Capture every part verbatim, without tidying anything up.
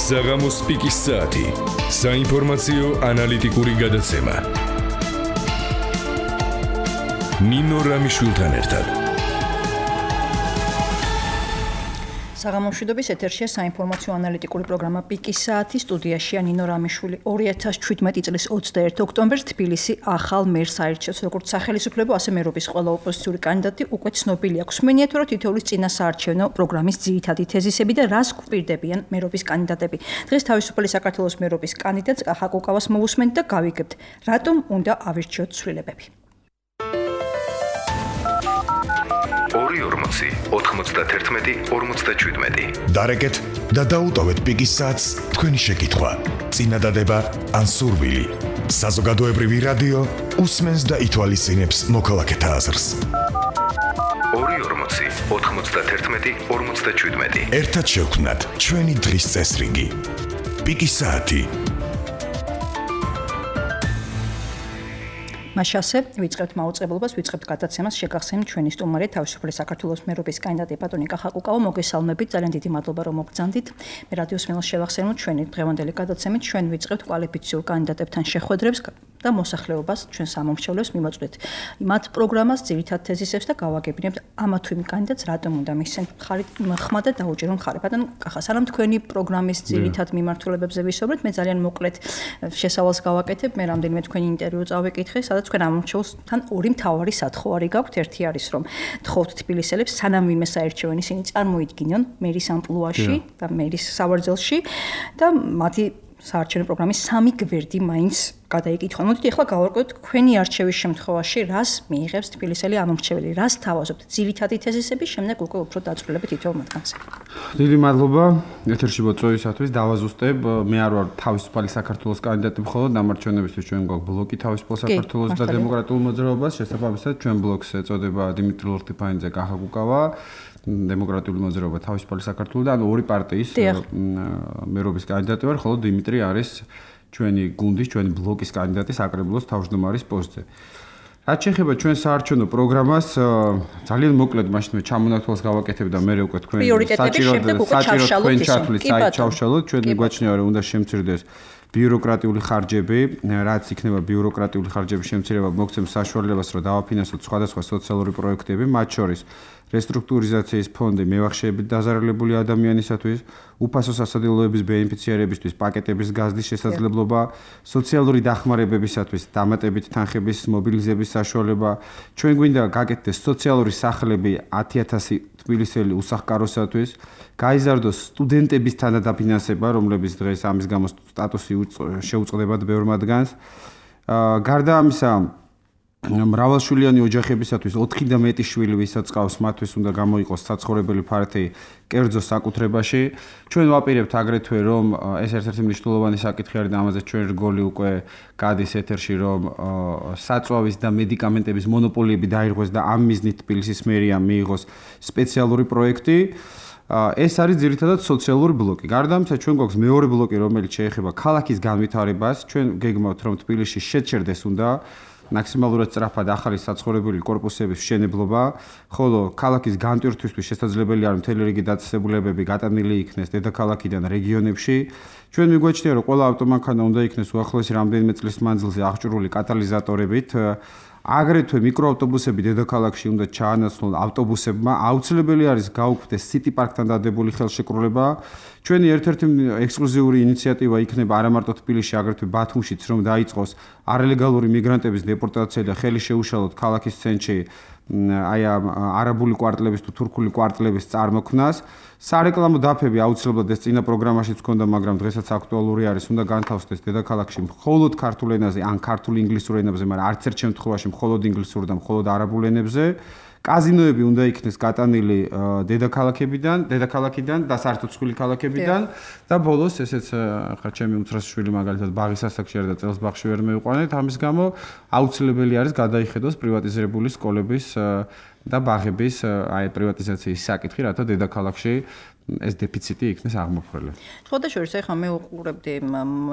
საღამოს პიკის საათი. საინფორმაციო ანალიტიკური გადაცემა. ნინო რამიშვილთან ერთად. საღამომშვიდობის ეთერშია საინფორმაციო ანალიტიკური პროგრამა პიკის საათი. სტუდიაშია ნინო რამიშვილი. ორი ათას შვიდმეტი წლის ოცდაერთი ოქტომბერს თბილისი ახალ მერს აირჩევს როგორც სახელმწიფო, ასე მერობის ყველა ოპოზიციური კანდიდატი უკვე ცნობილი აქვს. მენია თუ რა თითოეულის წინასაარჩევნო პროგრამის ძირითადი თეზისები და რას გვპირდებიან მერობის კანდიდატები. დღეს თავისუფალი საქართველოს მერობის კანდიდატს კახა კუკავას მოვუსმენთ და გავიგებთ, რატომ უნდა ავირჩიოთ ცვლილებები. ორი ორმოცი ოთხმოცდაათი ორმოცდაშვიდმეტი. დარეკეთ და დაუტოვეთ პიკის საათს თქვენი შეკითხვა, წინადადება ან სურვილი. საზოგადოებრივი რადიო უსმენს და ითვალისწინებს მოქალაქეთა აზრს. ორი ორმოცი ოთხმოცდაათი ორმოცდაშვიდმეტი. ერთად შევქმნათ ჩვენი დღის წესრიგი. პიკის საათი. მაშასე ვიწყებთ მაუწყებლობას, ვიწყებთ გადაცემას, შეგახსენებთ ჩვენი სტუმარი თავისუფალი საქართველოს მერობის კანდიდატი ბატონი კახა კუკავა. მოგესალმებით, ძალიან დიდი მადლობა რომ მოგბრძანდით. მე რადიოს მილოს შევახსენებთ ჩვენი დღევანდელი გადაცემით, ჩვენ ვიწყებთ კვალიფიციურ კანდიდატებთან შეხვედრებს და მოსახლეობას, ჩვენ სამომრჩევლებს მიმოწვდით მათ პროგრამას, ძირითად თეზისებს და გავაგებინებთ ამა თუ იმ კანდიდატს რატომ უნდა მისცენ ხმა და დაუჭირო მხარი. ბატონო კახა, სანამ თქვენი პროგრამის ძირითად მიმართულებებზე ვისაუბრეთ, მე ძალიან მოკლედ შესავალს გავაკეთებ, მე რამდენიმე თქვენი ინტერვიუ წავეკითხე, სადაც თქვენ ამორჩეულთან ორი მთავარი სათხოვარი გაქვთ. ერთი არის რომ თხოვთ თბილისელებს სანამ ვინმე საერჩევენ ისინი წარმოიდგინონ მერის ამპლუაში და მერის სავარძელში და მათი საარჩევნო პროგრამის სამი გვერდი მაინც გადაიკითხონ. მოდით ახლა გავარკვევთ თქვენი არჩევის შემთხვევაში რას მიიღებს თბილისელი ამომრჩეველი, რას თავაზობთ ძირითადი თეზისები, შემდეგ უკვე უფრო დაწვრილებით თითოეულ მათგანზე. დიდი მადლობა ეთერში მოწვევისათვის. დავაზუსტებ, მე არ ვარ თავისუფალი საქართველოს კანდიდატი, მხოლოდ დამარჩენებისთვის ჩვენ გვაქვს ბლოკი თავისუფალ საქართველოს და დემოკრატიულ მოძრაობას. შესაბამისად ჩვენ ბლოკს ეწოდება დიმიტრი ლორთიფანიძე, კახა კუკავა, დემოკრატიული მოძრაობა თავისუფალი საქართველო და ანუ ორი პარტიის მერობის კანდიდატი ვარ, ხოლო დიმიტრი არის ჩვენი გუნდის, ჩვენი ბლოკის კანდიდატი საკრებულოს თავმჯდომარის პოსტზე. რაც შეეხება ჩვენ საარჩევნო პროგრამას, ძალიან მოკლედ მაშინ მე ჩამონათვალს გავაკეთებ და მე უკვე თქვენ საჭიროდ საჭიროდ თქვენ ჩათვლის საით ჩავშალოთ, ჩვენ მიგვაჩნია რომ უნდა შემცირდეს ბიუროკრატიული ხარჯები, რაც იქნება ბიუროკრატიული ხარჯების შემცირება მოგცემს საშუალებას, რომ დავაფინანსოთ სხვადასხვა სოციალური პროექტები, მათ შორის რესტრუქტურიზაციის ფონდი მევახშეებით დაზარალებული ადამიანისათვის, უფასო სასადილოების ბენეფიციარებისთვის პაკეტების გაზრდის შესაძლებლობა, სოციალური დახმარებებისათვის დამატებით თანხების მობილიზების საშუალება. ჩვენ გვინდა გაკეთდეს სოციალური სახლები ათი ათასი თბილისელი უსახკაროსათვის, გაიზარდოს სტუდენტების თანადაფინანსება, რომლებიც დღეს ამის გამო სტატუსი შეუწყდებათ ბევრ მათგანს. გარდა ამისა, მრავალშვილიანი ოჯახებისათვის ოთხი და მეტი შვილი ვისაც ყავს, მათთვის უნდა გამოიყოს საცხოვრებელი ფართი კერძო საკუთრებაში. ჩვენ ვაპირებთ აგრეთვე რომ ეს ერთ-ერთი მნიშვნელოვანი საკითხი არის და ამაზე ჩვენ რგოლი უკვე გადის ეთერში, რომ საწვავის და მედიკამენტების მონოპოლიები დაირღვეს და ამ მიზნით თბილისის მერიამ მიიღოს სპეციალური პროექტი. ეს არის ძირითადად სოციალური ბლოკი. გარდა ამისა, ჩვენ გვაქვს მეორე ბლოკი, რომელიც შეეხება ქალაქის განვითარებას. ჩვენ გეგმავთ, რომ თბილისში შეჩერდეს უნდა მაქსიმალურად სწრაფად ახალი საცხოვრებელი კორპუსების მშენებლობა, ხოლო ქალაქის განტვირთვისთვის შესაძლებელი არის მთელი რიგი დაწესებულებები გატანილი იქნეს დედაქალაქიდან რეგიონებში. ჩვენ მიგვაჩნია, რომ ყველა ავტომანქანა უნდა იქნეს უახლოესი რამდენიმე წლის მანძილზე აღჭურვილი კატალიზატორებით. აგრეთვე მიკროავტობუსები დედაქალაქში უნდა ჩაანაცვლონ ავტობუსებმა. აუცილებელი არის გაუქმდეს სიტი პარკთან დადებული ხელშეკრულება. ჩვენი ერთ-ერთი ექსკლუზიური ინიციატივა იქნება არა მარტო თბილისში, აგრეთვე ბათუმშიც, რომ დაიწყოს არალეგალური მიგრანტების დეპორტაცია და ხელი შეუშალოთ ქალაქის ცენტრში აი ამ არაბული კვარტლების თუ თურქული კვარტლების წარმოქმნას. სარეკლამო დაფები აუცილებლად ეს წინა პროგრამაშიც ჰქონდა, მაგრამ დღესაც აქტუალური არის, უნდა განთავსდეს დედაქალაქში მხოლოდ ქართულ ენაზე ან ქართულ ინგლისურ ენებზე, მაგრამ არც ერთ შემთხვევაში მხოლოდ ინგლისურ და მხოლოდ არაბულ ენებზე. კაზინოები უნდა იქნეს გატანილი დედაქალაქებიდან, დედაქალაქიდან და საერთოდ სხვილი ქალაქებიდან და ბოლოს ესეც ხა ჩემი უმცროსი შვილი მაგალითად ბაღის ასაკში არის და წელს ბაღში ვერ მევიყვანეთ, ამის გამო აუცილებელი არის გადაიხედოს პრივატიზებული სკოლების და ბაღების აი პრივატიზაციის საკითხი, რათა დედაქალაქში ეს დეფიციტი იქნეს აღმოფხვრელი. სხვადასხვა ეხლა მე უყურებდი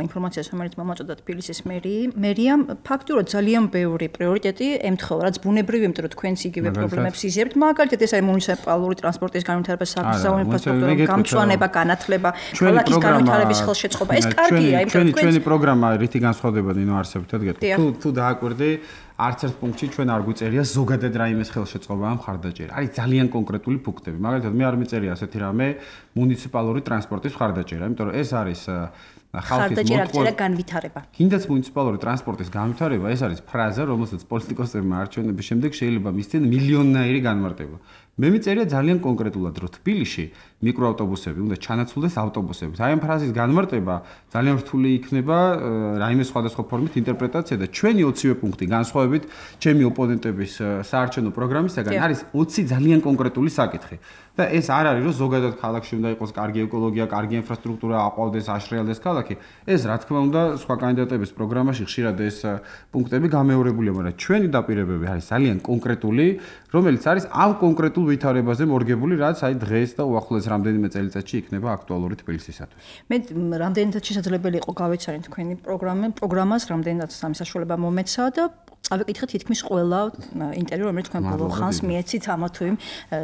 ინფორმაციას, რომელიც მომაწოდა თბილისის მერიამ, ფაქტურად ძალიან ბევრი პრიორიტეტი ემთხვევა, რაც ბუნებრივი, იმიტომ რომ თქვენს იგივე პრობლემებს იზიებთ, მაგალითად ეს არის მუნიციპალური ტრანსპორტის განვითარება, საგზავნო ინფრასტრუქტურა, გამწვანება, განათლება, ქალაქის განვითარების ხელშეწყობა. ეს კარგია, იმიტომ რომ ჩვენი პროგრამა რითი განსხვავდება ნინო არსებითად გეტყვი. თუ თუ დააკვირდი არც ერთ პუნქტში ჩვენ არ გვიწერია ზოგადად რაიმეს ხელშეწყობა ამ ხარდაჭერა. არის ძალიან კონკრეტული პუნქტები. მაგალითად მე არ მიწერია ასეთი რამე მუნიციპალური ტრანსპორტის ხარდაჭერა, იმიტომ რომ ეს არის ხალხის ხარდაჭერა განვითარება. კიდაც მუნიციპალური ტრანსპორტის განვითარება ეს არის ფრაზა, რომელსაც პოლიტიკოსებმა არჩევნების შემდეგ შეიძლება მისცენ მილიონნაირი განმარტება. მე მიწერია ძალიან კონკრეტულად, რომ თბილისში მიკროავტობუსები უნდა ჩანაცვლდეს ავტობუსებით. აი ამ ფრაზის განმარტება ძალიან რთული იქნება რაიმე სხვადასხვა ფორმით ინტერპრეტაცია და ჩვენი ოცივე პუნქტი განსხვავებით ჩემი ოპონენტების საარჩევნო პროგრამისგან არის ოცი ძალიან კონკრეტული საკითხი. და ეს არ არის რომ ზოგადად ქალაქში უნდა იყოს კარგი ეკოლოგია, კარგი ინფრასტრუქტურა, აყვავდეს, აშრიალდეს ქალაქი. ეს რა თქმა უნდა სხვა კანდიდატების პროგრამაში ხშირად ეს პუნქტები გამეორებულია, მაგრამ ჩვენი დაპირებები არის ძალიან კონკრეტული, რომელიც არის ამ კონკრეტულ ვითარებაზე მორგებული, რაც აი დღეს და უახლოეს რამდენიმე წელიწადში იქნება აქტუალური თბილისისათვის. მე რამდენადაც შესაძლებელი იყო გავეცანი თქვენი პროგრამა, პროგრამას რამდენადაც სამი საშუალება მომეცა და წავიკითხე თითქმის ყველა ინტერვიუ, რომელიც თქვენ ბოლო ხანს მიეცით ამა თუ იმ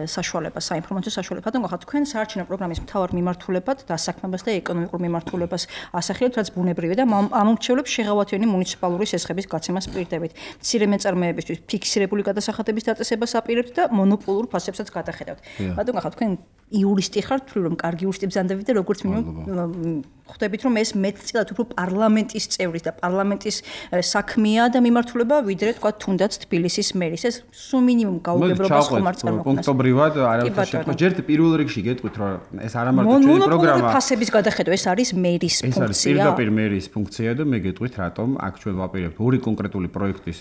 საშუალებას, საინფორმაციო საშუალებად. და გახართ თქვენ საარჩევნო პროგრამის მთავარ მიმართულებად დასაქმებას და ეკონომიკურ მიმართულებას ასახელებთ, რაც ბუნებრივია და ამომრჩევლებს შეღავათიანი მუნიციპალური სესხების გაცემას პირდებით. მცირე მეწარმეებისთვის ფიქსირებული გადასახადების დაწესებას აპირებთ და მონოპოლურ ფასებსაც გადახედავთ. ბატონო, გახართ თქვენ იურისტი ხართ, თუ რომ კარგი იურისტი ბრძანდებით და როგორც მინიმუმ ხვდებით რომ ეს მეტწილად უფრო პარლამენტის წევრის და პარლამენტის საქმეა და მიმართულება ვიდრე თქვა თუნდაც თბილისის მერის. ეს სულ მინიმუმ გაუგებრობას ხომ არ წარმოქმნას. პუნქტობრივად არავითარ შემთხვევაში ჯერ პირველ რიგში გეტყვით რომ ეს არა მარტო ჩვენი პროგრამა. მონოპოლური ფასების გადახედვა ეს არის მერის ფუნქცია. ეს არის პირდაპირ მერის ფუნქცია და მე გეტყვით რატომ აქ ჩვენ ვაპირებთ ორი კონკრეტული პროექტის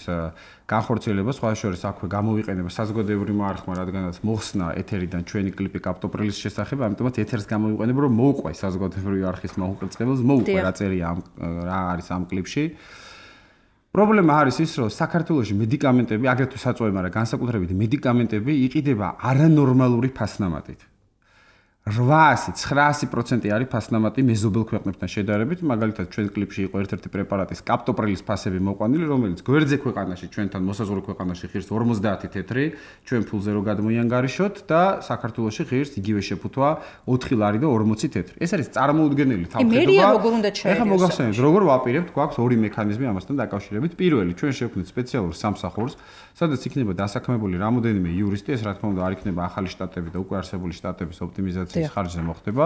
განხორციელება, სხვა შორის აქვე გამოვიყენება საზოგადოებრივი მარხმა, რადგანაც მოხსნა ეთერიდან ჩვენი კლიპი კაპტოპრილის შესახებ, ამიტომაც ეთერს გამოვიყენება, რომ მოუყვე საზოგადოებრივი არხის მაუყურებელს, მოუყვე რა წერია ამ რა არის ამ კლიპში. პრობლემა არის ის, რომ საქართველოში მედიკამენტები, აგრეთვე საწვავი, მაგრამ განსაკუთრებით მედიკამენტები იყიდება არანორმალური ფასნამატით. რვაასი ცხრაასი პროცენტი არის ფასნამატი მეზობელ ქვეყნებთან შედარებით, მაგალითად ჩვენ კლიპში იყო ერთ-ერთი პრეპარატის კაპტოპრილის ფასები მოყვანილი, რომელიც გვერდზე ქვეყანაში ჩვენთან მოსაზღვრე ქვეყანაში ღირს ორმოცდაათი თეთრი, ჩვენ ფულზე რო გადმოიანგარიშოთ და საქართველოში ღირს იგივე შეფუთვა ოთხი ლარი და ორმოცი თეთრი. ეს არის წარმოუდგენელი თავხედობა. მერია როგორ უნდა ჩაერიოს? ეხლა მოგახსენებთ, როგორ ვაპირებთ, გვაქვს ორი მექანიზმი ამასთან დაკავშირებით. პირველი, ჩვენ შევქმნით სპეციალურ სამსახურს, სადაც იქნება დასაქმებული რამოდენიმე იურისტი, ეს რა თქმა უნდა არ იქნება ახალი შტატები და უკვე არსებული შტატების ოპტიმიზაცია ხარჯზე მოხდება,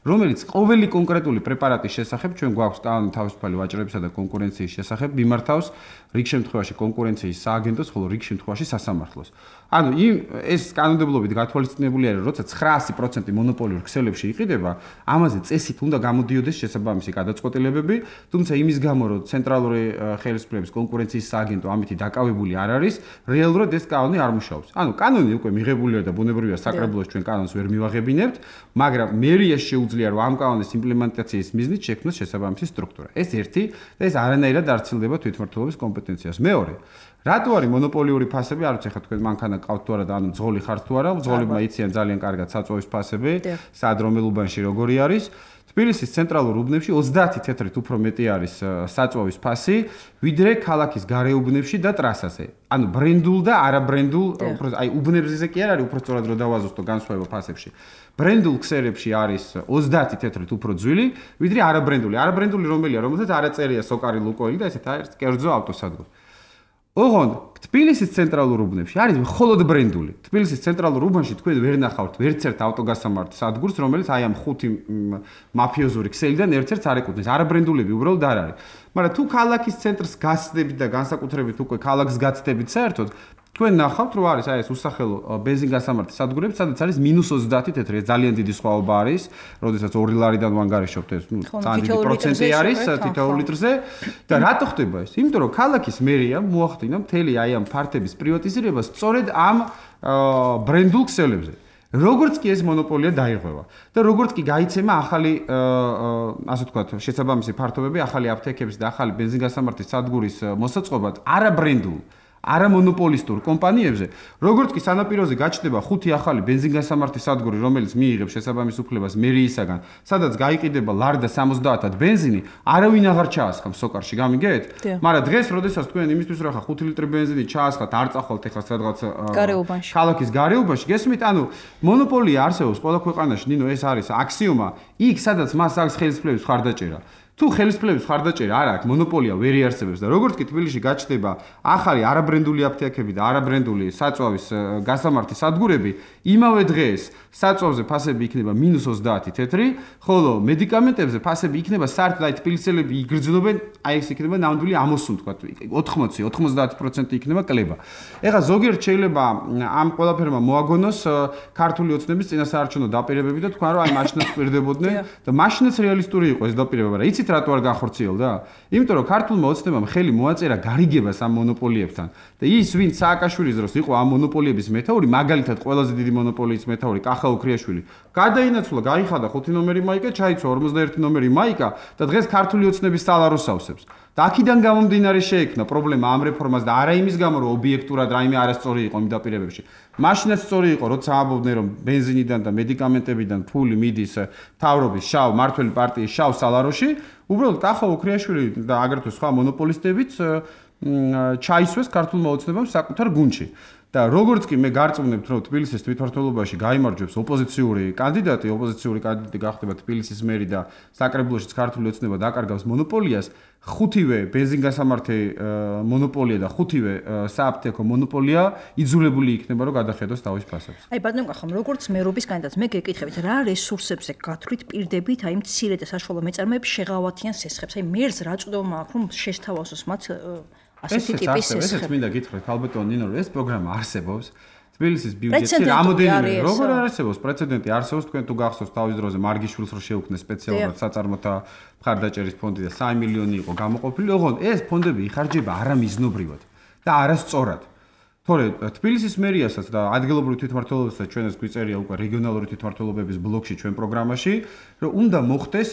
რომელიც ყოველი კონკრეტული პრეპარატის შესახებ ჩვენ გვაქვს კანონი თავისუფალი ვაჭრებისა და კონკურენციის შესახებ მიმართავს რიგ შემთხვევაში კონკურენციის სააგენტოს, ხოლო რიგ შემთხვევაში სასამართლოს. ანუ იმ ეს კანონმდებლობით გათვალისწინებული არის, როცა ცხრაასი პროცენტი მონოპოლიურ ქსელებში იყიდება, ამაზე წესით უნდა გამოდიოდეს შესაბამისი გადაწყვეტილებები, თუმცა იმის გამო, რომ ცენტრალური ხელისუფლების კონკურენციის სააგენტო ამითი დაკავებული არ არის, რეალურად ეს კანონი არ მუშაობს. ანუ კანონი უკვე მიღებულია და ბუნებრივია საკრებულოს ჩვენ კანონს ვერ მივაღებინებთ, მაგრამ მერიას შეუძლია რომ ამ კანონის იმპლემენტაციის მიზნით შექმნას შესაბამისი სტრუქტურა. ეს ერთი და ეს არანაირად არ ცილდება თვითმმართველობის კომპეტენციას. მეორე, რატო არის მონოპოლიური ფასები? არ ვიცი, ხა თქვენ მანქანა ყავთ თუ არა და ანუ ძღოლი ხართ თუ არა, ძღოლებმა იციან ძალიან კარგად საწვავის ფასები, სად რომელ უბანში როგორი არის. თბილისის ცენტრალურ უბნებში ოცდაათი თეთრით უფრო მეტი არის საწვავის ფასი, ვიდრე ქალაქის გარეუბნებში და ტრასაზე. ანუ ბრენდულ და არაბრენდულ, აი უბნებზე კი არ არის, უფრო სწორად რო დავაზუსტო განსხვავება ფასებში. ბრენდულ ქსერებში არის ოცდაათი თეთრით უფრო ძვილი, ვიდრე არაბრენდული. არაბრენდული რომელია, რომელსაც არ აწერია სოკარი ლუკოილი და ესეთ არის კერძო ავტოსადგური. ოღონდ თბილისის ცენტრალურ უბნებში არის მხოლოდ ბრენდული. თბილისის ცენტრალურ უბანში თქვენ ვერ ნახავთ ვერცერთ ავტოგასამართ სადგურს, რომელიც აი ამ ხუთი მაფიოზური ქსელიდან ერთ-ერთს არ ეკუთვნის. არაბრენდულები უბრალოდ არ არის. მაგრამ თუ ქალაქის ცენტრს გასცდებით და განსაკუთრებით უკვე ქალაქს გაცდებით საერთოდ, თქვენ ნახავთ, რომ არის აი ეს უსახელო ბენზინგასამართი სადგურები, სადაც არის მინუს ოცდაათი თეთრი, ეს ძალიან დიდი სხვაობა არის, როდესაც ორი ლარიდან ვანგარიშობთ, ეს ნუ ძალიან დიდი პროცენტი არის თითოეულ litrზე და რატო ხდება ეს? იმიტომ რომ ქალაქის მერია მოახდინა მთელი აი ამ ფართების პრივატიზირებას სწორედ ამ ბრენდულ ქსელებზე. როგორც კი ეს მონოპოლია დაირღვევა და როგორც კი გაიცემა ახალი ასე ვთქვათ, შესაბამისი ფართობები, ახალი აფთიაქების და ახალი ბენზინგასამართის სადგურის მოსაწყობად არაბრენდულ არამონოპოლისტურ კომპანიებზე, როგორც კი სანაპიროზე გაჩნდება ხუთი ახალი ბენზინგასამართი სადგური, რომელიც მიიღებს შესაბამის უფლებას მერიისაგან, სადაც გაიყიდება ლარდა სამოცდაათად ბენზინი, არავინ აღარ ჩაასხამს სოკარში, გამიგეთ? მაგრამ დღეს, როდესაც თქვენ იმისთვის რომ ხა ხუთი ლიტრი ბენზინი ჩაასხათ, არ წახვალთ ეხლა სადღაც ქალაქის გარეუბანში, გესმით? ანუ მონოპოლია არსებობს ყველა ქვეყანაში, ნინო, ეს არის აქსიომა, იქ სადაც მას აქვს ხელისუფლების მხარდაჭერა. თუ ხელისუფლების მხარდაჭერა არ აქვს, მონოპოლია ვერ იარსებებს და როგორც კი თბილისში გაჩნდება ახალი არაბრენდული აფთიაქები და არაბრენდული საწვავის გასამართი სადგურები, იმავე დღეს საწვავზე ფასები იქნება მინუს ოცდაათი თეთრი, ხოლო მედიკამენტებზე ფასები იქნება საერთოდ აი თბილისელები იგრძნობენ, აი ეს იქნება ნამდვილი ამოსუნ თქვა, ოთხმოცი ოცდაათი პროცენტი იქნება კლება. ეხლა ზოგიერთ შეიძლება ამ ყველაფერმა მოაგონოს ქართული ოცნების წინასაარჩევნო დაპირებები და თქვა რომ აი მაშინაც პირდებოდნენ და მაშინაც რეალისტური იყო ეს დაპირება, მაგრამ იცით რატო არ განხორციელდა? იმიტომ რომ ქართულმა ოცნებამ ხელი მოაწერა გარიგებას ამ მონოპოლიებთან და ის ვინც სააკაშვილის დროს იყო ამ მონოპოლიების მეთაური, მაგალითად ყველაზე დიდი მონოპოლიის მეთაური კახა უქრიაშვილი, გადაინაცვლა, გაიხადა ხუთი ნომერი მაიკა, ჩაიცვა ორმოცდაერთი ნომერი მაიკა და დღეს ქართული ოცნების სალაროს ავსებს. და აქედან გამომდინარე შეექმნა პრობლემა ამ რეფორმას და არა იმის გამო რომ ობიექტურად რაიმე არასწორი იყო იმ დაპირებებში. მაშინაც სწორი იყო, როცა ამბობდნენ რომ ბენზინიდან და მედიკამენტებიდან ფული მიდის მთავრობის შავ მართველი პარტიის შავ სალაროში, უბრალოდ კახა უქრიაშვილი და აგრეთვე სხვა მონოპოლისტებიც ჩაისვეს ქართულმა ოცნებამ საკუთარ გუნდში. და როგორც კი მე გარწმუნებთ, რომ თბილისის თვითმმართველობაში გაიმარჯვებს ოპოზიციური კანდიდატი, ოპოზიციური კანდიდატი გახდება თბილისის მერი და საკრებულოშიც ქართული ოცნება დაკარგავს მონოპოლიას, ხუთივე ბენზინგასამართი მონოპოლია და ხუთივე სააფთიაქო მონოპოლია იძულებული იქნება, რომ გადახედოს თავის ფასებს. აი ბატონო კახამ, როგორც მერობის კანდიდატს მე გეკითხებით, რა რესურსებზე გათვლით პირდებით, აი მცირე და საშუალო მეწარმეებს შეღავათიან სესხებს, აი მერს რა წვდომა აქვს, რომ შეშთავაზოს მათ ასეთი ტიპის სესხები. ესეც მინდა გითხრათ, ალბათო ნინო, ეს პროგრამა არსებობს. თბილისის ბიუჯეტში რამოდენიმე როგორ არსებობს პრეცედენტი არსებობს, თქვენ თუ გახსოვს თავის დროზე მარგიშვილს რო შეუქმნეს სპეციალურად საწარმოთა მხარდაჭერის ფონდი და სამი მილიონი იყო გამოყოფილი, ოღონდ ეს ფონდები იხარჯება არამიზნობრივად და არასწორად. თორე თბილისის მერიასაც და ადგილობრივ თვითმმართველობასაც ჩვენ ეს გვიწერია უკვე რეგიონალური თვითმმართველობების ბლოკში ჩვენ პროგრამაში, რომ უნდა მოხდეს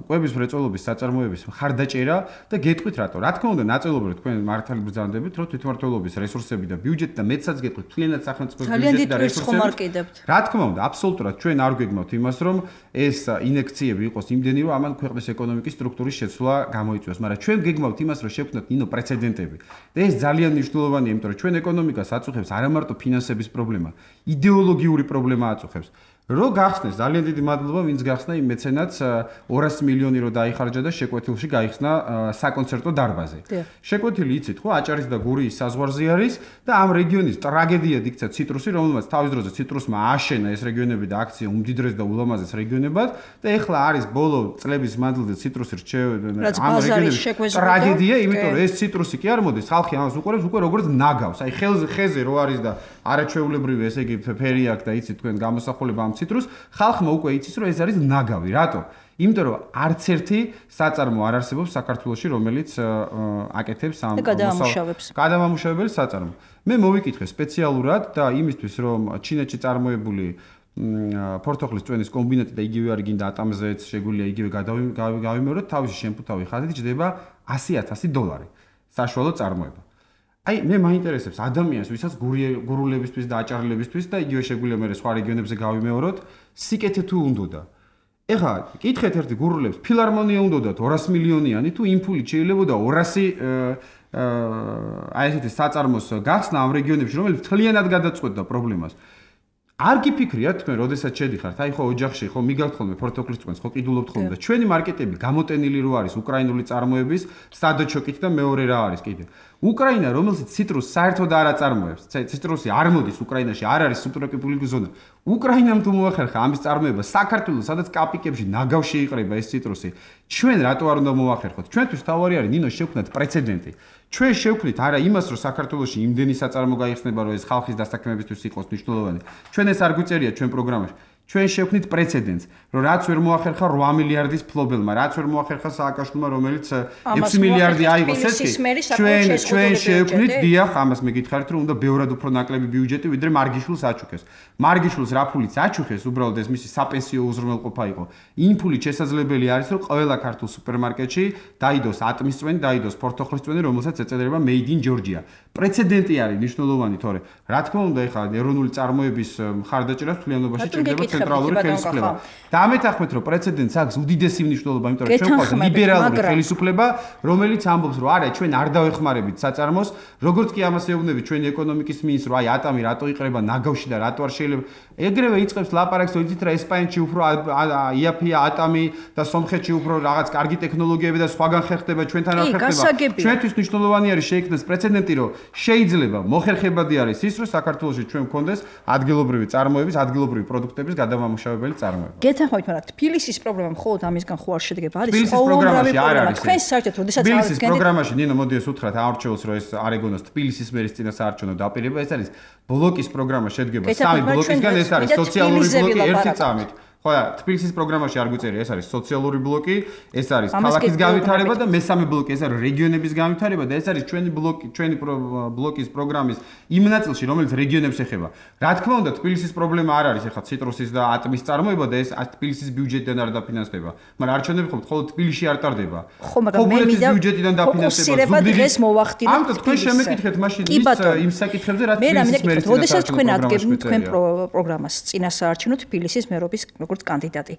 კვების მრეწველობის საწარმოების მხარდაჭერა და გეტყვით რატო. რა თქმა უნდა, ნაწილობრივ თქვენ მართალი ბრძანდებით, რომ თვითმმართველობის რესურსები და ბიუჯეტი და მეცაც გეტყვით, მთლიანად სახელმწიფოს ბიუჯეტი და რესურსები. რა თქმა უნდა, აბსოლუტურად ჩვენ არ გვეგმავთ იმას, რომ ეს ინექციები იყოს იმდენი, რომ ამან ქვეყნის ეკონომიკის სტრუქტურის შეცვლა გამოიწვიოს, მაგრამ ჩვენ გეგმავთ იმას, რომ შევქმნათ ნინო პრეცედენტები. და ეს ძალიან მნიშვნელოვანია, იმიტომ ჩვენ ეკონომიკას აწუხებს არა მარტო ფინანსების პრობლემა, იდეოლოგიური პრობლემა აწუხებს. რო გახსნეს, ძალიან დიდი მადლობა, ვინც გახსნა იმ მეცენატს ორასი მილიონი რო დაიხარჯა და შეკვეთილში გაიხსნა საკონცერტო დარბაზი. შეკვეთილი იცით ხო, აჭარის და გურიის საზღვარზე არის და ამ რეგიონის ტრაგედიად იქცა ციტრუსი, რომელმაც თავის დროზე ციტრუსმა აშენა ეს რეგიონები და აქცია უმდიდრეს და ულამაზეს რეგიონებად და ეხლა არის ბოლო წლების მანძილზე ციტრუსი რჩევენ ამ რეგიონებში ტრაგედია, იმიტომ რომ ეს ციტრუსი კი არ მოდის, ხალხი ამას უყურებს უკვე როგორც ნაგავს, აი ხელზე ხეზე რო არის და არაჩვეულებრივი ესე იგი ფერი აქვს და იცით თქვენ გამოსახულება ამ ციტრუს, ხალხმა უკვე იცის რომ ეს არის ნაგავი, რატო? იმიტომ რომ არც ერთი საწარმო არ არსებობს საქართველოში, რომელიც აკეთებს ამ გადამამუშავებელი საწარმო. მე მოვიკითხე სპეციალურად და იმისთვის რომ ჩინეთში წარმოებული ფორთოხლის წვენის კომბინატი და იგივე არ გინდა ატამზეც შეგვიძლია იგივე გავიმეოროთ, თავისი შემფუთავი ხაზით ჯდება ასი ათასი დოლარი საშუალო წარმოება. აი მე მაინტერესებს ადამიანს, ვისაც გურულებისთვის და აჭარლებისთვის და იგივე შეგვიძლია მე სხვა რეგიონებზე გავიმეოროთ, სიკეთე თუ უნდოდა. ეხლა კითხეთ ერთი გურულებს, ფილარმონია უნდოდათ ორასი მილიონიანი თუ იმ ფულით შეიძლებოდა ორასი აი ესეთი საწარმოს გახსნა ამ რეგიონებში, რომელიც მთლიანად გადაწყვეტდა პრობლემას. არ გიფიქრიათ თქვენ, როდესაც შედიხართ, აი ხო ოჯახში, ხო მიგავთ ხოლმე ფორთოხლის წვენს, ხო ყიდულობთ ხოლმე და ჩვენი მარკეტები გამოტენილი რო არის უკრაინული წარმოების სადოჩოკით და მეორე რა არის კიდე. უკრაინა, რომელსაც ციტრუსს საერთოდ არ აწარმოებს, ციტრუსი არ მოდის უკრაინაში, არ არის სუბტროპიკული ზონა. უკრაინამ თუ მოახერხა ამის წარმოება, საქართველოს, სადაც კაპიკებში ნაგავში იყრება ეს ციტრუსი, ჩვენ რატო არ უნდა მოახერხოთ? ჩვენთვის თავარი არის ნინო შევქმნათ პრეცედენტი. ჩვენ შევქმნით არა იმას, რომ საქართველოში იმდენი საწარმო გაიხსნება, რომ ეს ხალხის დასაქმებისთვის იყოს მნიშვნელოვანი. ჩვენ ეს არ გვიწერია ჩვენ პროგრამაში. ჩვენ შევქმნით პრეცედენტს, რომ რაც ვერ მოახერხა რვა მილიარდის ფლობელმა, რაც ვერ მოახერხა სააკაშვილმა, რომელიც ექვსი მილიარდი აიღოს ესეთი. ჩვენ ჩვენ შევქმნით, დიახ, ამას მე გითხარით, რომ უნდა ბევრად უფრო ნაკლები ბიუჯეტი, ვიდრე მარგიშვილს აჩუქეს. მარგიშვილს რა ფულით აჩუქეს, უბრალოდ ეს მისი საპენსიო უზრუნველყოფა იყო. იმ ფულით შესაძლებელი არის, რომ ყველა ქართულ სუპერმარკეტში დაიდოს ატმის წვენი, დაიდოს ფორთოხლის წვენი, რომელსაც ეწოდება Made in Georgia. პრეცედენტი არის მნიშვნელოვანი, თორე რა თქმა უნდა, ეხლა ეროვნული წარმოების მხარდაჭერას თლიანობაში ჭირდება ცენტრალური ხელისუფლება. და ამეთანხმეთ, რომ პრეცედენტს აქვს უდიდესი მნიშვნელობა, იმიტომ რომ ჩვენ ყავს ლიბერალური ხელისუფლება, რომელიც ამბობს, რომ არა, ჩვენ არ დავეხმარებით საწარმოს, როგორც კი ამას ეუბნებით ჩვენი ეკონომიკის მინისტრს, რომ აი ატამი რატო იყრება ნაგავში და რატო არ შეიძლება. ეგრევე იწყებს ლაპარაკს, რომ იცით რა ესპანეთში უფრო იაფია ატამი და სომხეთში უფრო რაღაც კარგი ტექნოლოგიები და სხვაგან ხერხდება, ჩვენთან არ ხერხდება. ჩვენთვის მნიშვნელოვანი არის შეიქმნას პრეცედენტი, რომ შეიძლება მოხერხებადი არის ის, რომ საქართველოში ჩვენ გქონდეს ადგილობრივი წარმოების, ადგილობრივი პროდუქტების გადამამუშავებელი წარმოება. გეთანხმებით, მაგრამ თბილისის პრობლემა მხოლოდ ამისგან ხო არ შედგება? არის ყოველდღიური პრობლემა. თქვენ საერთოდ როდესაც თბილისის პროგრამაში ნინო მოდი ეს უთხრათ აარჩეულს, რომ ეს არ ეგონოს თბილისის მერის წინასაარჩევნო დაპირება, ეს არის ბლოკის პროგრამა შედგება სამი ბლოკისგან, ეს არის სოციალური ბლოკი ერთი წამით. ხო, თბილისის პროგრამაში არ გვიწერია, ეს არის სოციალური ბლოკი, ეს არის ქალაქის განვითარება და მესამე ბლოკი ეს არის რეგიონების განვითარება და ეს არის ჩვენი ბლოკი, ჩვენი ბლოკის პროგრამის იმ ნაწილში, რომელიც რეგიონებს ეხება. რა თქმა უნდა, თბილისის პრობლემა არ არის ეხლა ციტრუსის და ატმის წარმოება და ეს თბილისის ბიუჯეტიდან არ დაფინანსდება. მაგრამ არჩევნები ხომ მხოლოდ თბილისში არ ტარდება. ხო, მაგრამ მე მინდა ბიუჯეტიდან დაფინანსდება. დღეს მოვახდინოთ. ამიტომ თქვენ შემეკითხეთ მაშინ იმ საკითხებზე, რაც თბილისის მერის წინასაარჩევნო. როდესაც თქვენ ადგენთ თქვენ პროგრამას წინასაარჩევნო თბილისის მერობის როგორც კანდიდატი.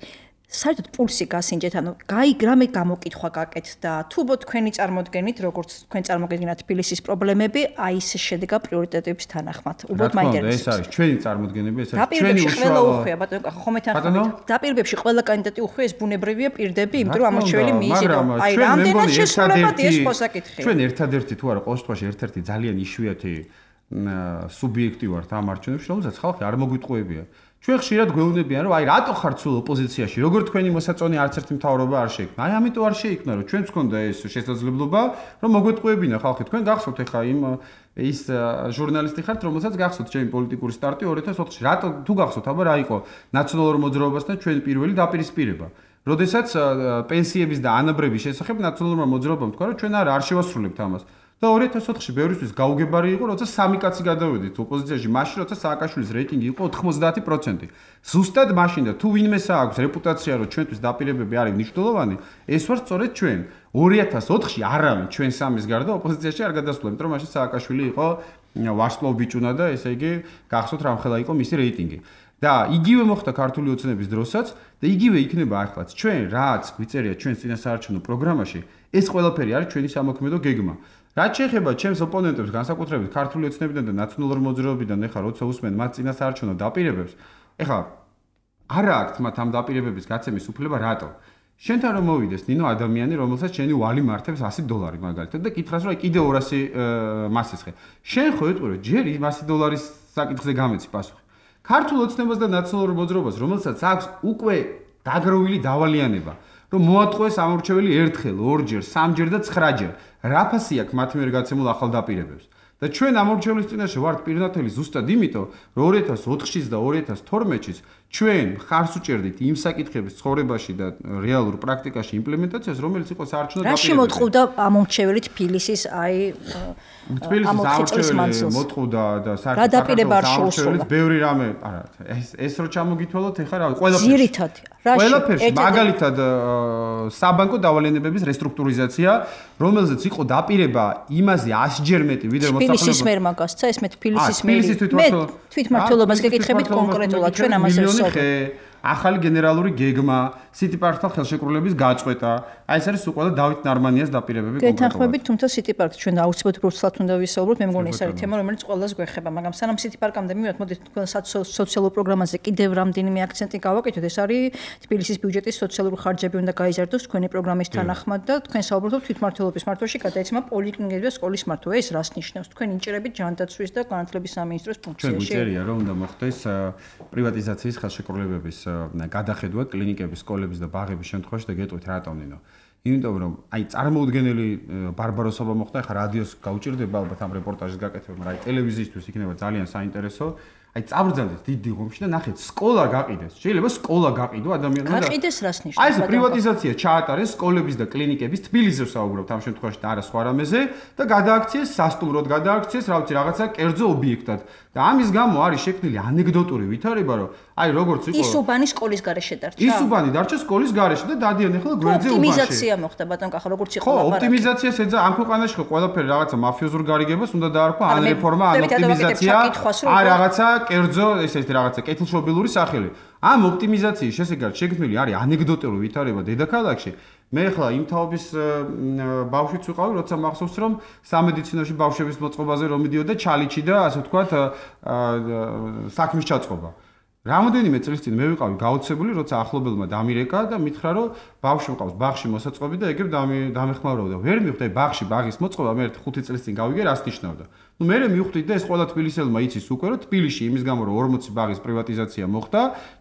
საერთოდ პულსი გასინჯეთ, ანუ გაიგრამე გამოკითხვა გაკეთთ და თუ ბო თქვენი წარმოდგენით, როგორც თქვენ წარმოგედგენათ თბილისის პრობლემები, აი ეს შედგა პრიორიტეტების თანახმად. უბრალოდ მაინტერესებს. ეს არის ჩვენი წარმოდგენები, ეს არის ჩვენი უშუალო უხვია, ბატონო, ხო მეთანხმებით. დაპირებებში ყველა კანდიდატი უხვია, ეს ბუნებრივია პირდები, იმიტომ რომ ამორჩეველი მიიზიდო. აი რამდენად შესრულებადი ეს ხო საკითხია. ჩვენ ერთადერთი თუ არა, ყოველ შემთხვევაში ერთ-ერთი ძალიან იშვიათი სუბიექტი ვართ ამ არჩევნებში, რომელსაც ხალხი არ მოგვიტყუებია. ჩვენ ხშირად გვეუბნებიან, რომ აი რატო ხართ სულ ოპოზიციაში, როგორ თქვენი მოსაწონი არც ერთი მთავრობა არ შეიქმნა. აი ამიტომ არ შეიქმნა, რომ ჩვენც გქონდა ეს შესაძლებლობა, რომ მოგვეტყუებინა ხალხი. თქვენ გახსოვთ ახლა იმ ის ჟურნალისტი ხართ, რომელსაც გახსოვთ ჩემი პოლიტიკური სტარტი ორი ათას ოთხში. რატო თუ გახსოვთ, აბა რა იყო ნაციონალურ მოძრაობასთან ჩვენი პირველი დაპირისპირება. როდესაც პენსიების და ანაბრების შესახებ ნაციონალურმა მოძრაობამ თქვა, რომ ჩვენ არ არ შევასრულებთ ამას. და ორი ათას ოთხში ბევრისთვის გაუგებარი იყო, როცა სამი კაცი გადავედით ოპოზიციაში, მაშინ როცა სააკაშვილის რეიტინგი იყო ოთხმოცდაათი პროცენტი. ზუსტად მაშინ და თუ ვინმეს აქვს რეპუტაცია, რომ ჩვენთვის დაპირებები არის მნიშვნელოვანი, ეს ვარ სწორედ ჩვენ. ორი ათას ოთხში არავინ ჩვენ სამის გარდა ოპოზიციაში არ გადასულა, იმიტომ რომ მაშინ სააკაშვილი იყო ვარსკვლავ ბიჭუნა და ესე იგი გახსოვთ რამხელა იყო მისი რეიტინგი. და იგივე მოხდა ქართული ოცნების დროსაც და იგივე იქნება ახლაც. ჩვენ რაც გვიწერია ჩვენ წინასაარჩევნო პროგრამაში, ეს ყველაფერი არის ჩვენი სამოქმედო გეგმა. რაც შეეხება ჩემს ოპონენტებს, განსაკუთრებით ქართული ოცნებიდან და ნაციონალურ მოძრაობიდან, ეხლა როცა უსმენ მათ წინასაარჩევნო დაპირებებს, ეხლა არა აქვთ მათ ამ დაპირებების გაცემის უფლება, რატო? შენთან რომ მოვიდეს ნინო ადამიანი, რომელსაც შენი ვალი მართებს ასი დოლარი მაგალითად და კითხავს, რომ აი კიდე ორასი მასისხე. შენ ხო ეტყვი, ჯერ იმ ასი დოლარის საკითხზე გამეცი პასუხი. ქართულ ოცნებას და ნაციონალურ მოძრაობას, რომელსაც აქვს უკვე დაგროვილი დავალიანება, რომ მოატყუეს ამორჩეველი ერთხელ, ორჯერ, სამჯერ და ცხრაჯერ. რა ფასი აქვს მათ მიერ გაცემულ ახალ დაპირებებს? და ჩვენ ამორჩევლის წინაშე ვართ პირნათელი ზუსტად იმიტომ, რომ ორი ათას ოთხშიც და ორი ათას თორმეტშიც ჩვენ ხარს უჭერდით იმ საკითხების ცხოვრებაში და რეალურ პრაქტიკაში იმპლემენტაციას, რომელიც იყო საარჩევნო დაპირებები. რაში მოთხოვდა ამორჩეველი თბილისის აი თბილისის ამორჩეველი მოთხოვდა და საქართველოს ამორჩეველიც ბევრი რამე, არა, ეს ეს რო ჩამოგითვალოთ, ეხლა რა ყველაფერში. ძირითადი. ყველაფერში, მაგალითად საბანკო დავალენებების რესტრუქტურიზაცია, რომელზეც იყო დაპირება იმაზე ასჯერ მეტი, ვიდრე მოსახლეობა. თბილისის მერ მაგასცა, ეს მე თბილისის მერი. მე თვითმმართველობას გეკითხებით კონკრეტულად, ჩვენ ამაზე ვსაუბრობთ. ახალი გენერალური გეგმა, სიტიპარკთან ხელშეკრულების გაწყვეტა. აი ეს არის უყველა დავით ნარმანიას დაპირებები კონკრეტულად. გეთანხმებით, თუმცა სიტიპარკი ჩვენ აუცილებლად უბრალოდ უნდა ვისაუბროთ, მე მგონი ეს არის თემა, რომელიც ყველას გვეხება, მაგრამ სანამ სიტიპარკამდე მივიდეთ, მოდით თქვენ სოციალურ პროგრამაზე კიდევ რამდენიმე აქცენტი გავაკეთოთ. ეს არის თბილისის ბიუჯეტის სოციალური ხარჯები უნდა გაიზარდოს თქვენი პროგრამის თანახმად და თქვენ საუბრობთ თვითმმართველობის მართვაში გადაეცემა პოლიკლინიკები და სკოლის მართვა. ეს რას ნიშნავს? თქვენ ინჭირებით ჯანდაცვის და განათლების სამინისტროს ფუნქციაში. ჩვენ გვიწერია, რომ უნდა მოხდეს პრივატიზაციის ხელშეკრულებების გადახედვა კლინიკების, სკოლების და ბაღების შემთხვევაში და გეტყვით რატომ ნინო? იმიტომ რომ აი წარმოუდგენელი ბარბაროსობა მოხდა, ხა რადიოს გაუჭირდება ალბათ ამ რეპორტაჟის გაკეთება, მაგრამ აი ტელევიზიისთვის იქნება ძალიან საინტერესო. აი წაბრძანდეთ დიდი ღომში და ნახეთ სკოლა გაყიდეს. შეიძლება სკოლა გაყიდო ადამიანმა და გაყიდეს რას ნიშნავს? აი ეს პრივატიზაცია ჩაატარეს სკოლების და კლინიკების თბილისზე ვსაუბრობთ ამ შემთხვევაში და არა სხვა რამეზე და გადააქციეს სასტუმროდ გადააქციეს რა ვიცი რაღაცა კერძო ობიექტად. და ამის გამო არის შექმნილი ანეკდოტური ვითარება რომ აი როგორც იყო ისუბანი სკოლის გარეშე დარჩა. ისუბანი დარჩა სკოლის გარეშე და დადიან ახლა გვერდზე უბანში. ოპტიმიზაცია მოხდა ბატონ კახა როგორც იყო ლაპარაკი. ხო, ოპტიმიზაციას ეძა ამ ქვეყანაში ხო ყველაფერი რაღაცა მაფიოზურ გარიგებას უნდა დაარქვა ან რეფორმა ან ოპტიმიზაცია ან რაღაცა კერძო ესეთი რაღაცა კეთილშობილური სახელი. ამ ოპტიმიზაციის შესაძლებლად შექმნილი არის ანეკდოტური ვითარება დედაქალაქში. მე ახლა იმ თაობის ბავშვიც ვიყავი, როცა მახსოვს რომ სამედიცინოში ბავშვების მოწყობაზე რომ მიდიოდა ჩალიჩი და ასე ვთქვათ საქმის ჩაწყობა. რამოდენიმე წლის წინ მე ვიყავი გაოცებული, როცა ახლობელმა დამირეკა და მითხრა რომ ბავშვი მყავს ბაღში მოსაწყობი და ეგრე დამეხმარებოდა. ვერ მივხვდი ბაღში ბაღის მოწყობა მე ერთი ხუთი წლის წინ გავიგე რას ნიშნავდა. ნუ მე მივხვდი და ეს ყველა თბილისელმა იცის უკვე რომ თბილისში იმის გამო რომ ორმოცი ბაღის პრივატიზაცია მოხდა,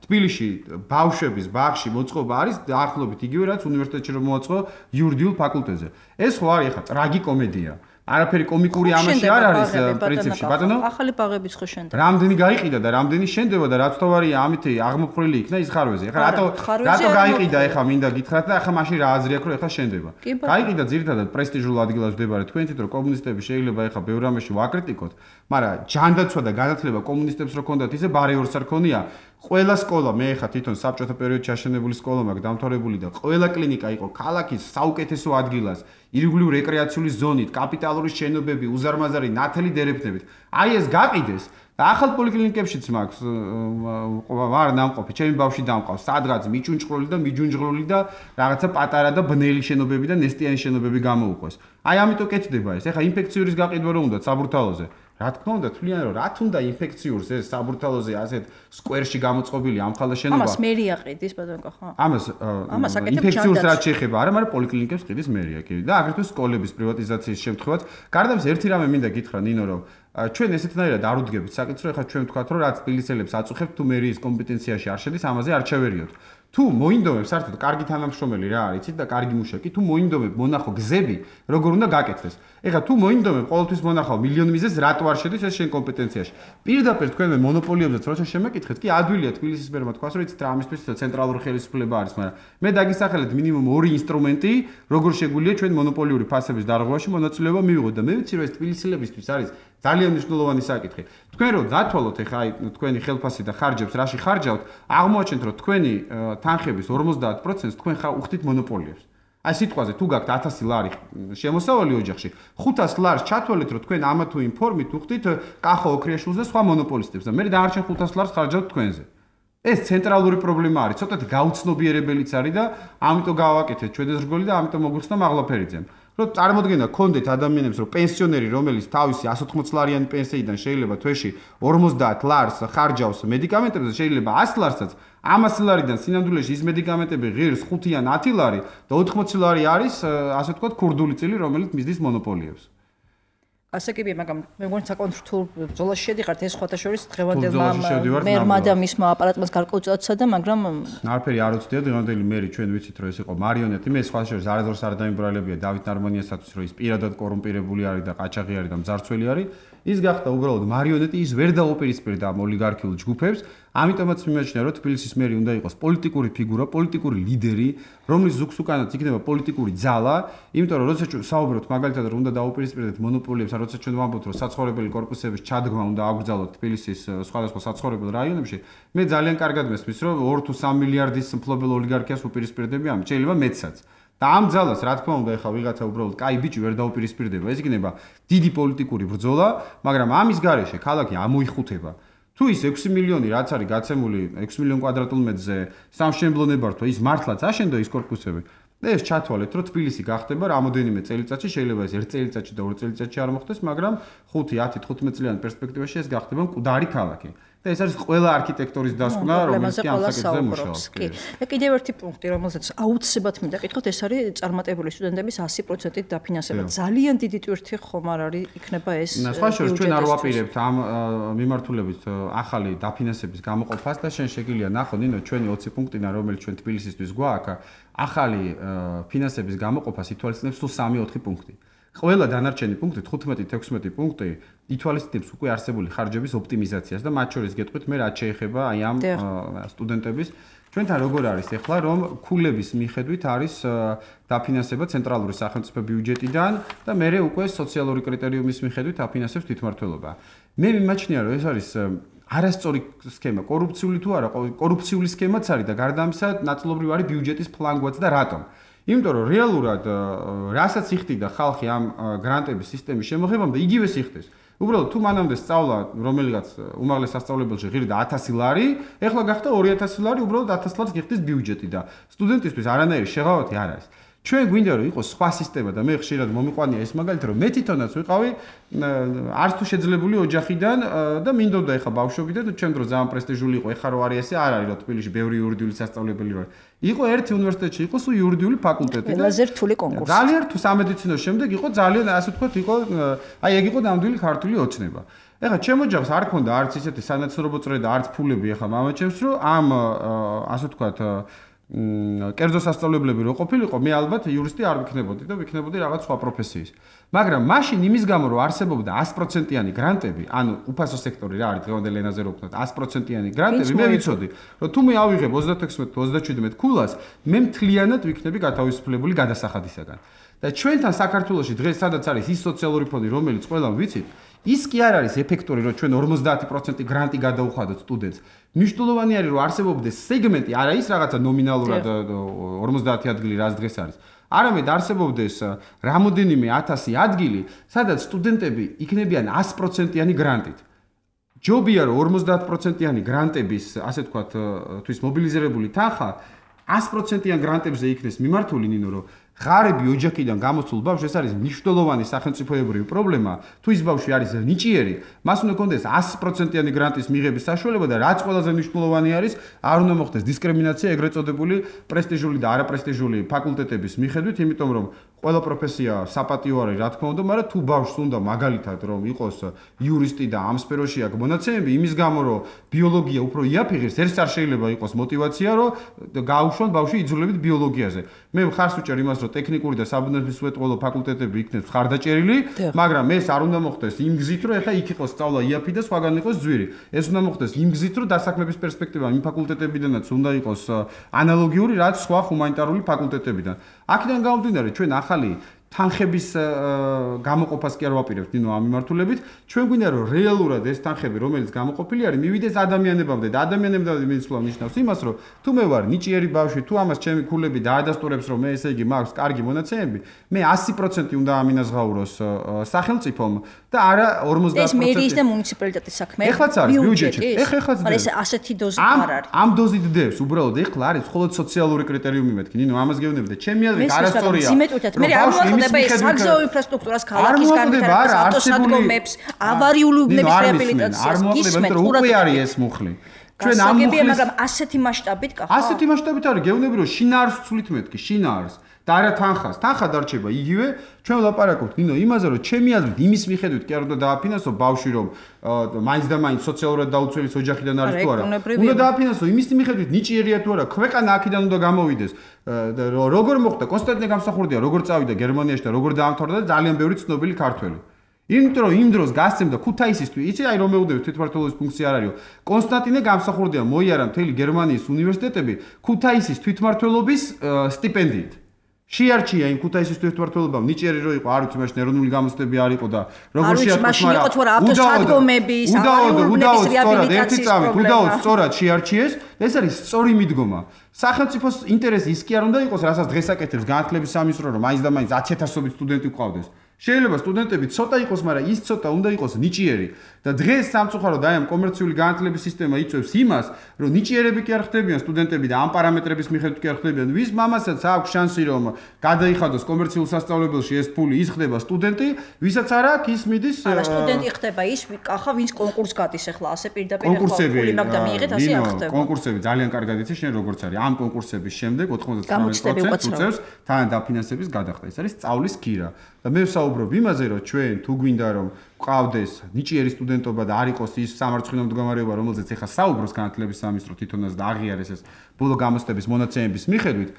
თბილისში ბავშვების ბაღში მოწყობა არის დაახლოებით იგივე რაც უნივერსიტეტში რომ მოაწყო იურიდიულ ფაკულტეტზე. ეს ხო არის ახლა ტრაგიკომედია. არაფერი კომიკური ამაში არ არის პრინციპში ბატონო ახალი ბაღებიც ხო შენდება რამდენი გაიყიდა და რამდენი შენდება და რაც თავარია ამით აღმოფხრილი იქნა ის ხარვეზე ეხლა რატო რატო გაიყიდა ეხლა მინდა გითხრათ და ეხლა მაშინ რა აზრი აქვს რომ ეხლა შენდება გაიყიდა ძირითადად პრესტიჟულ ადგილას მდებარე თქვენ თვით რომ კომუნისტები შეიძლება ეხლა ბევრ რამეში ვაკრიტიკოთ მაგრამ ჯანდაცვა და განათლება კომუნისტებს რო ქონდათ ისე ბარეორს არ ქონია ყველა სკოლა მე ეხლა თვითონ საბჭოთა პერიოდში აშენებული სკოლა მაქვს დამთავრებული და ყველა კლინიკა იყო ქალაქის საუკეთესო ადგილას ირგვლივ რეკრეაციული ზონით კაპიტალური შენობები უზარმაზარი ნათელი დერეფნებით აი ეს გაყიდეს და ახალ პოლიკლინიკებშიც მაქვს ვარ ნამყოფი ჩემი ბავშვი დამყავს სადღაც მიჭუნჭყრული და მიჯუნჯღრული და რაღაცა პატარა და ბნელი შენობები და ნესტიანი შენობები გამოუყვეს აი ამიტომ კეთდება ეს ეხლა ინფექციის გაყიდვა რომ უნდა საბურთალოზე რა თქმა უნდა თვლიან რომ რა თუნდა ინფექციურს ეს საბურთალოზე ასეთ სკვერში გამოწყობილი ამხალა შენობა ამას მერია ყიდის ბატონო ხო ამას ინფექციურს რაც შეეხება არა მაგრამ პოლიკლინიკებს ყიდის მერია კი და აგრეთვე სკოლების პრივატიზაციის შემთხვევაც გარდა ამისა ერთი რამე მინდა გითხრა ნინო რომ ჩვენ ესეთნაირად არ უდგებით საკითხს რომ ეხლა ჩვენ ვთქვათ რომ რაც თბილისელებს აწუხებთ თუ მერიის კომპეტენციაში არ შედის ამაზე არ ჩავერიოთ თუ მოინდომებს საერთოდ კარგი თანამშრომელი რა არიცით და კარგი მუშაკი თუ მოინდომებ მონახო გზები როგორ უნდა გაკეთდეს ეხლა თუ მოინდომებ ყოველთვის მონახავ მილიონი მიზეზს რატო არ შედის ეს შენ კომპეტენციაში პირდაპირ თქვენ მე მონოპოლიებზეც როცა შემეკითხეთ კი ადვილია თბილისის მერმა თქვას რომ იცით რა ამისთვის ცენტრალური ხელისუფლება არის მაგრამ მე დაგისახელეთ მინიმუმ ორი ინსტრუმენტი როგორ შეგვიძლია ჩვენ მონოპოლიური ფასების დარღვევაში მონაწილეობა მივიღოთ და მე ვიცი რომ ეს თბილისელებისთვის არის ძალიან მნიშვნელოვანი საკითხი. თქვენ რო დათვალოთ ეხა აი თქვენი ხელფასი და ხარჯებს რაში ხარჯავთ, აღმოაჩენთ რომ თქვენი თანხების ორმოცდაათ პროცენტს თქვენ ხარ უხდით მონოპოლიებს. აი სიტყვაზე თუ გაქვთ ათასი ლარი შემოსავალი ოჯახში, ხუთას ლარს ჩათვალეთ რომ თქვენ ამა თუ იმ ფორმით უხდით კახო ოქრიაშვილს და სხვა მონოპოლისტებს და მე დაარჩენ ხუთას ლარს ხარჯავთ თქვენზე. ეს ცენტრალური პრობლემა არის, ცოტათი გაუცნობიერებელიც არის და ამიტომ გავაკეთეთ ჩვენ ეს რგოლი და ამიტომ მოგვიხსნა მაღლაფერიძემ. რომ წარმოდგენა გქონდეთ ადამიანებს რომ პენსიონერი რომელიც თავისი εκ ოცდაოთხ ლარიანი პენსიიდან შეიძლება თვეში ორმოცდაათ ლარს ხარჯავს მედიკამენტებზე შეიძლება ასი ლარსაც ამას ლარიდან სინამდვილეში ის მედიკამენტები ღირს ხუთი ან ათი ლარი და ოთხმოცი ლარი არის ასე ვთქვათ ქურდული წილი რომელიც მისდის მონოპოლიებს ასაკებია, მაგრამ მე მგონი საკონტრ რთულ ბრძოლაში შედიხართ ეს ხოთა შორის დღევანდელმა მერმა და მისმა აპარატმა გარკვეულწილად და მაგრამ არაფერი არ უცდია დღევანდელი მერი ჩვენ ვიცით რომ ეს იყო მარიონეტი მე სხვა შორის არასდროს არ დაიმბრალებია დავით ნარმონიასაც რომ ის პირადად კორუმპირებული არის და ყაჩაღი არის და მძარცველი არის ის გახდა უბრალოდ მარიონეტი ის ვერ დაუპირისპირდა ამ ოლიგარქიულ ჯგუფებს ამიტომაც მიმაჩნია რომ თბილისის მერი უნდა იყოს პოლიტიკური ფიგურა, პოლიტიკური ლიდერი, რომლის ზუგს უკანაც იქნება პოლიტიკური ძალა, იმიტომ რომ როცა საუბრობთ მაგალითად რომ უნდა დაუპირისპირდეთ მონოპოლიებს, ან როცა ჩვენ ვამბობთ რომ საცხოვრებელი კორპუსების ჩადგმა უნდა აგრძელოთ თბილისის სხვადასხვა საცხოვრებელ რაიონებში, მე ძალიან კარგად მესმის რომ ორი თუ სამი მილიარდის მფლობელ ოლიგარქიას უპირისპირდები ამ, შეიძლება მეტსაც. და ამ ძალას რა თქმა უნდა ეხლა ვიღაცა უბრალოდ კაი ბიჭი ვერ დაუპირისპირდება, ეს იქნება დიდი პოლიტიკური ბრძოლა, მაგრამ ამის გარეშე ქალაქი ამოიხუთება. თუ ის ექვსი მილიონი რაც არის გაცემული ექვსი მილიონ კვადრატულ მეტრზე სამშენებლო ნებართვა ის მართლაც აშენდა ის კორპუსები და ეს ჩათვალეთ რომ თბილისი გახდება რამოდენიმე წელიწადში შეიძლება ეს ერთ წელიწადში და ორი წელიწადში არ მოხდეს მაგრამ ხუთი ათი თხუთმეტ წლიანი პერსპექტივაში ეს გახდება მკვდარი ქალაქი და ეს არის ყველა არქიტექტორის დასკვნა რომელიც კი ამ საკითხზე მუშაობს კი და კიდევ ერთი პუნქტი რომელსაც აუცილებლად მინდა კითხოთ ეს არის წარმატებული სტუდენტების ასი პროცენტით დაფინანსება ძალიან დიდი ტვირთი ხომ არ არის იქნება ეს სხვა შორის ჩვენ არ ვაპირებთ ამ მიმართულებით ახალი დაფინანსების გამოყოფას და შენ შეგიძლია ნახო ნინო ჩვენი ოცი პუნქტინა რომელიც ჩვენ თბილისისთვის გვაქვს ახალი ფინანსების გამოყოფას ითვალისწინებს სულ სამი ოთხი პუნქტი ყველა დანარჩენი პუნქტი თხუთმეტი თექვსმეტი პუნქტი ითვალისწინებს უკვე არსებული ხარჯების ოპტიმიზაციას და მათ შორის გეტყვით მე რაც შეეხება აი ამ სტუდენტების ჩვენთან როგორ არის ახლა რომ ქულების მიხედვით არის დაფინანსება ცენტრალური სახელმწიფო ბიუჯეტიდან და მე უკვე სოციალური კრიტერიუმის მიხედვით აფინანსებს თვითმმართველობა. მე მიმაჩნია რომ ეს არის არასწორი სქემა, კორუფციული თუ არა, კორუფციული სქემაც არის და გარდა ამისა ნაწილობრივ არის ბიუჯეტის ფლანგვაც და რატომ? იმიტომ რომ რეალურად რასაც იხდიდა ხალხი ამ გრანტების სისტემის შემოღებამდე იგივე სიხდეს. უბრალოდ თუ მანამდე სწავლა რომელიღაც უმაღლეს სასწავლებელში ღირდა ათასი ლარი, ეხლა გახდა ორი ათასი ლარი, უბრალოდ ათას ლარს გიხდის ბიუჯეტი და სტუდენტისთვის არანაირი შეღავათი არ არის. ჩვენ გვინდა რომ იყოს სხვა სისტემა და მე ხშირად მომიყვანია ეს მაგალითად რომ მე თვითონაც ვიყავი არც თუ შეძლებული ოჯახიდან და მინდოდა ეხა ბავშვობიდან და ჩვენ დრო ძალიან პრესტიჟული იყო ეხა რო არის ესე არ არის რომ თბილისში ბევრი იურიდიული სასწავლებელი რო იყო ერთი უნივერსიტეტში იყო სულ იურიდიული ფაკულტეტი და ყველაზე რთული კონკურსი ძალიან რთულ სამედიცინო შემდეგ იყო ძალიან ასე ვთქვათ იყო აი ეგ იყო ნამდვილი ქართული ოცნება ეხა ჩემ ოჯახს არ ქონდა არც ისეთი სანაცნობო წრე და არც ფულები ეხა მამაჩემს რომ ამ ასე ვთქვათ კერძო სასწავლებლები რო ყოფილიყო მე ალბათ იურისტი არ ვიქნებოდი და ვიქნებოდი რაღაც სხვა პროფესიის მაგრამ მაშინ იმის გამო რომ არსებობდა ას პროცენტიანი გრანტები ანუ უფასო სექტორი რა არის დღევანდელ ენაზე რო ვქნათ ას პროცენტიანი გრანტები მე ვიცოდი რომ თუ მე ავიღებ ოცდათექვსმეტ თუ ოცდაჩვიდმეტ ქულას მე მთლიანად ვიქნები გათავისუფლებული გადასახადისაგან და ჩვენთან საქართველოში დღეს სადაც არის ის სოციალური ფონდი რომელიც ყველამ ვიცით ის კი არ არის ეფექტური რომ ჩვენ ორმოცდაათი პროცენტი გრანტი გადაუხადოთ სტუდენტს. მნიშვნელოვანი არის რომ არსებობდეს სეგმენტი, არა ის რაღაცა ნომინალურად ორმოცდაათი ადგილი რაც დღეს არის. არამედ არსებობდეს რამოდენიმე ათასი ადგილი, სადაც სტუდენტები იქნებიან ას პროცენტიანი გრანტით. ჯობია რომ ორმოცდაათ პროცენტიანი გრანტების, ასე ვთქვათ, თვის მობილიზირებული თანხა ას პროცენტიან გრანტებზე იქნეს მიმართული, ნინო რომ ღარები ოჯახიდან გამოცულ ბავშვს ეს არის მნიშვნელოვანი სახელმწიფოებრივი პრობლემა. თუ ის ბავშვი არის ნიჭიერი, მას უნდა კონდეს ას პროცენტიანი გრანტის მიღების საშუალება და რაც ყველაზე მნიშვნელოვანი არის, არ უნდა მოხდეს დისკრიმინაცია ეგრეთ წოდებული პრესტიჟული და არაპრესტიჟული ფაკულტეტების მიხედვით, იმიტომ რომ ყველა პროფესია საპატიო არის, რა თქმა უნდა, მაგრამ თუ ბავშვს უნდა მაგალითად რომ იყოს იურისტი და ამ სფეროში აქვს მონაცემები, იმის გამო რომ ბიოლოგია უფრო იაფიღებს, ეს არ შეიძლება იყოს мотиваცია, რომ გაუშვან ბავშვი იძულებით ბიოლოგიაზე. მე მხარს ვუჭერ იმას რომ ტექნიკური და საბუნებისმეტყველო ფაკულტეტები იქნებს ხარდაჭერილი, მაგრამ ეს არ უნდა მოხდეს იმ გზით, რომ ეხლა იქ იყოს სწავლა იაფი და სხვაგან იყოს ძვირი. ეს უნდა მოხდეს იმ გზით, რომ დასაქმების პერსპექტივა იმ ფაკულტეტებიდანაც უნდა იყოს ანალოგიური, რაც სხვა ჰუმანიტარული ფაკულტეტებიდან. აქედან გამომდინარე, ჩვენ ახალი თანხების გამოყოფას კი არ ვაპირებთ ნინო ამ მიმართულებით. ჩვენ გვინდა რომ რეალურად ეს თანხები, რომელიც გამოყოფილი არის, მივიდეს ადამიანებამდე და ადამიანებამდე მეცვლა ნიშნავს იმას, რომ თუ მე ვარ ნიჭიერი ბავშვი, თუ ამას ჩემი ქულები დაადასტურებს, რომ მე ესე იგი მაქვს კარგი მონაცემები, მე ასი პროცენტი უნდა ამინაზღაუროს სახელმწიფომ და არა ორმოცდაათ პროცენტი. ეს მერიის და მუნიციპალიტეტის საქმე. ეხლაც არის ბიუჯეტში. ეხლა ეხლაც მაგრამ ეს ასეთი დოზი არ არის. ამ დოზით დევს, უბრალოდ ეხლა არის მხოლოდ სოციალური კრიტერიუმი მეთქი. ნინო ამას გეუბნები და ჩემი აზრით არასწორია. მე არ და ეს საგზაო ინფრასტრუქტურას ქალაქის განვითარებას, ავტოსადგომებს, ავარიული უბნების რეაბილიტაციას გისმენთ, უკვე არის ეს მუხლი. ჩვენ ამ მუხლის მაგრამ ასეთი მასშტაბით კახა. ასეთი მასშტაბით არის, გეუბნები რომ შინაარს ვცვლით მეთქი, შინაარს. და არა თანხას. თანხა დარჩება იგივე. ჩვენ ვლაპარაკობთ ნინო იმაზე რომ ჩემი აზრით იმის მიხედვით კი არ უნდა დააფინანსო ბავშვი რომ მაინც და მაინც სოციალურად დაუცველის ოჯახიდან არის თუ არა. უნდა დააფინანსო იმის მიხედვით ნიჭიერია თუ არა, ქვეყანა აქედან უნდა გამოვიდეს. როგორ მოხდა კონსტანტინე გამსახურდია, როგორ წავიდა გერმანიაში და როგორ დაამთავრა და ძალიან ბევრი ცნობილი ქართველი. იმიტომ რომ იმ დროს გასცემდა ქუთაისისთვის, იცი აი რომ მეუბნები თვითმმართველობის ფუნქცია არ არისო. კონსტანტინე გამსახურდია მოიარა მთელი გერმანიის უნივერსიტეტები ქუთაისის თვითმმართველობის სტიპენდიით. შეარჩია იმ ქუთაისის თვითმმართველობამ ნიჭიერი რო იყო, არ ვიცი მაშინ ეროვნული გამოცდები არ იყო და როგორ შეარჩიეს, მაგრამ ავტოსადგომების, ავარიულობის რეაბილიტაციის პრობლემა. უდაოდ სწორად შეარჩიეს, ეს არის სწორი მიდგომა. სახელმწიფოს ინტერესი ის კი არ უნდა იყოს, რასაც დღეს აკეთებს განათლების სამინისტრო, რომ მაინც და მაინც ათასობით სტუდენტი გვყავდეს. შეიძლება სტუდენტები ცოტა იყოს, მაგრამ ის ცოტა უნდა იყოს ნიჭიერი. და დღეს სამწუხაროდ აი ამ კომერციული განათლების სისტემა იწვევს იმას, რომ ნიჭიერები კი არ ხდებიან სტუდენტები და ამ პარამეტრების მიხედვით კი არ ხდებიან. ვის მამასაც აქვს შანსი რომ გადაიხადოს კომერციულ სასწავლებელში ეს ფული, ის ხდება სტუდენტი, ვისაც არ აქვს ის მიდის არა სტუდენტი ხდება ის, კახა ვინც კონკურს გადის ახლა ასე პირდაპირ ფული მაგდა მიიღეთ, ასე არ ხდება. კონკურსები ძალიან კარგად იცი შენ როგორიც არის. ამ კონკურსების შემდეგ ოთხმოცდათხმეტ პროცენტს უწევს თან დაფინანსების გადახდა. ეს არის სწავლის ქირა. და მე ვსაუბრობ იმაზე, რომ ჩვენ თუ გვინდა რომ გვყავდეს ნიჭიერი სტუდენტობა და არ იყოს ის სამარცხვინო მდგომარეობა, რომელზეც ეხა საუბრობს განათლების სამინისტრო თვითონაც და აღიარეს ეს ბოლო გამოცდების მონაცემების მიხედვით,